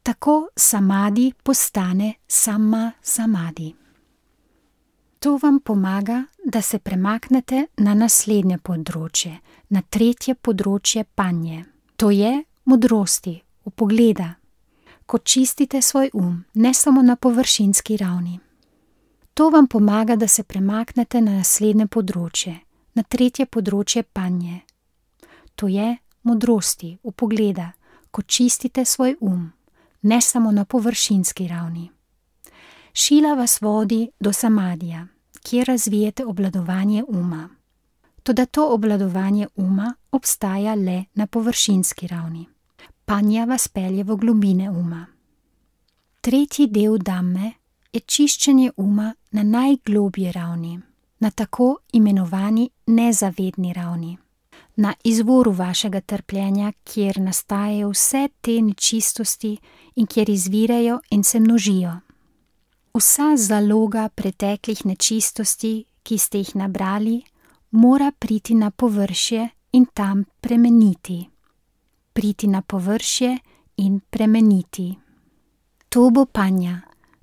Tako samadi postane samma samadi. To vam pomaga, da se premaknete na naslednje področje, na tretje področje panje. To je modrosti, vpogleda. Ko čistite svoj um, ne samo na površinski ravni. To vam pomaga, da se premaknete na naslednje področje, na tretje področje panje. To je modrosti, vpogleda, ko čistite svoj um, ne samo na površinski ravni. Šila vas vodi do samadija, kjer razvijete obvladovanje uma. Toda to obvladovanje uma obstaja le na površinski ravni. Panja vas pelje v globine uma. Tretji del dhamme je čiščenje uma na najglobji ravni, na tako imenovani nezavedni ravni, na izvoru vašega trpljenja, kjer nastajajo vse te nečistosti in kjer izvirajo in se množijo. Vsa zaloga preteklih nečistosti, ki ste jih nabrali, mora priti na površje in tam premeniti. Priti na površje in premeniti. To bo panja,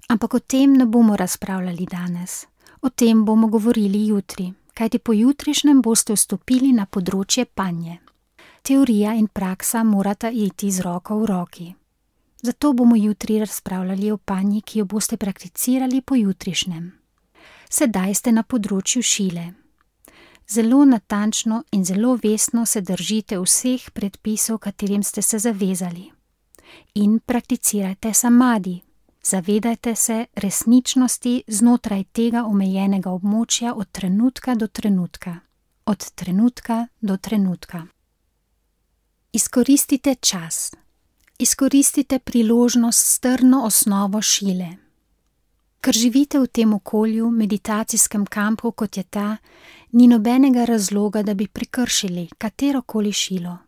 ampak o tem ne bomo razpravljali danes. O tem bomo govorili jutri, kajti pojutrišnjem boste vstopili na področje panje. Teorija in praksa morata iti z roko v roki. Zato bomo jutri razpravljali o panji, ki jo boste prakticirali pojutrišnjem. Sedaj ste na področju šile. Zelo natančno in zelo vestno se držite vseh predpisov, katerim ste se zavezali. In prakticirajte samadi. Zavedajte se resničnosti znotraj tega omejenega območja od trenutka do trenutka. Od trenutka do trenutka. Izkoristite čas. Izkoristite priložnost s trdno osnovo šile. Ker živite v tem okolju, meditacijskem kampu, kot je ta, ni nobenega razloga, da bi prekršili katerokoli šilo.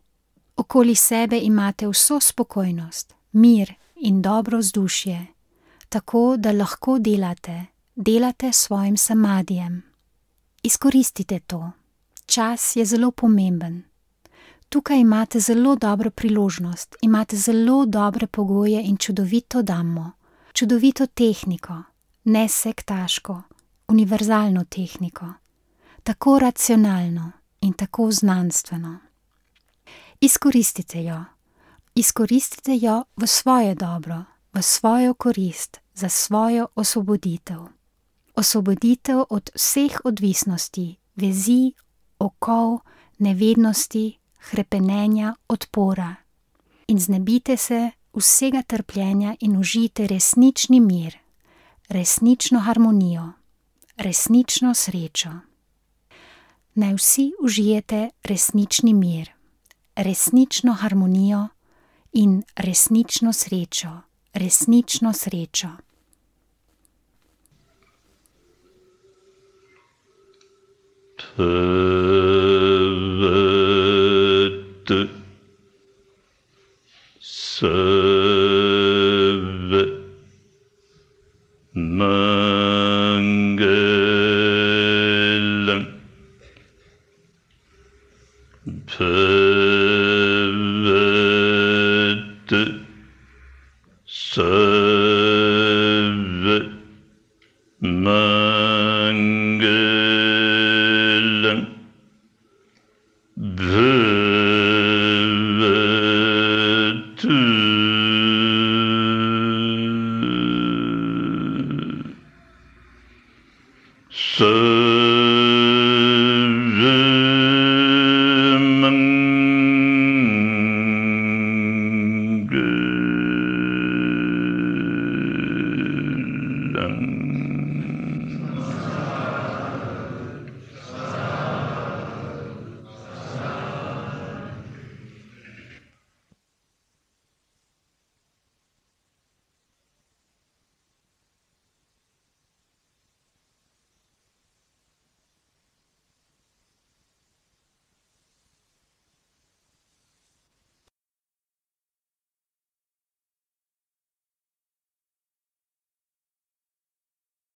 Okoli sebe imate vso spokojnost, mir in dobro vzdušje, tako da lahko delate, delate s svojim samadijem. Izkoristite to. Čas je zelo pomemben. Tukaj imate zelo dobro priložnost, imate zelo dobre pogoje in čudovito dhammo, čudovito tehniko, ne sektaško, univerzalno tehniko, tako racionalno in tako znanstveno. Izkoristite jo, izkoristite jo v svoje dobro, v svojo korist, za svojo osvoboditev. Osvoboditev od vseh odvisnosti, vezi, okov, nevednosti, hrepenenja, odpora. In znebite se vsega trpljenja in užijte resnični mir, resnično harmonijo, resnično srečo. Naj vsi užijete resnični mir, resnično harmonijo in resnično srečo, resnično srečo. Pavadu Sarva Mangalam Pavadu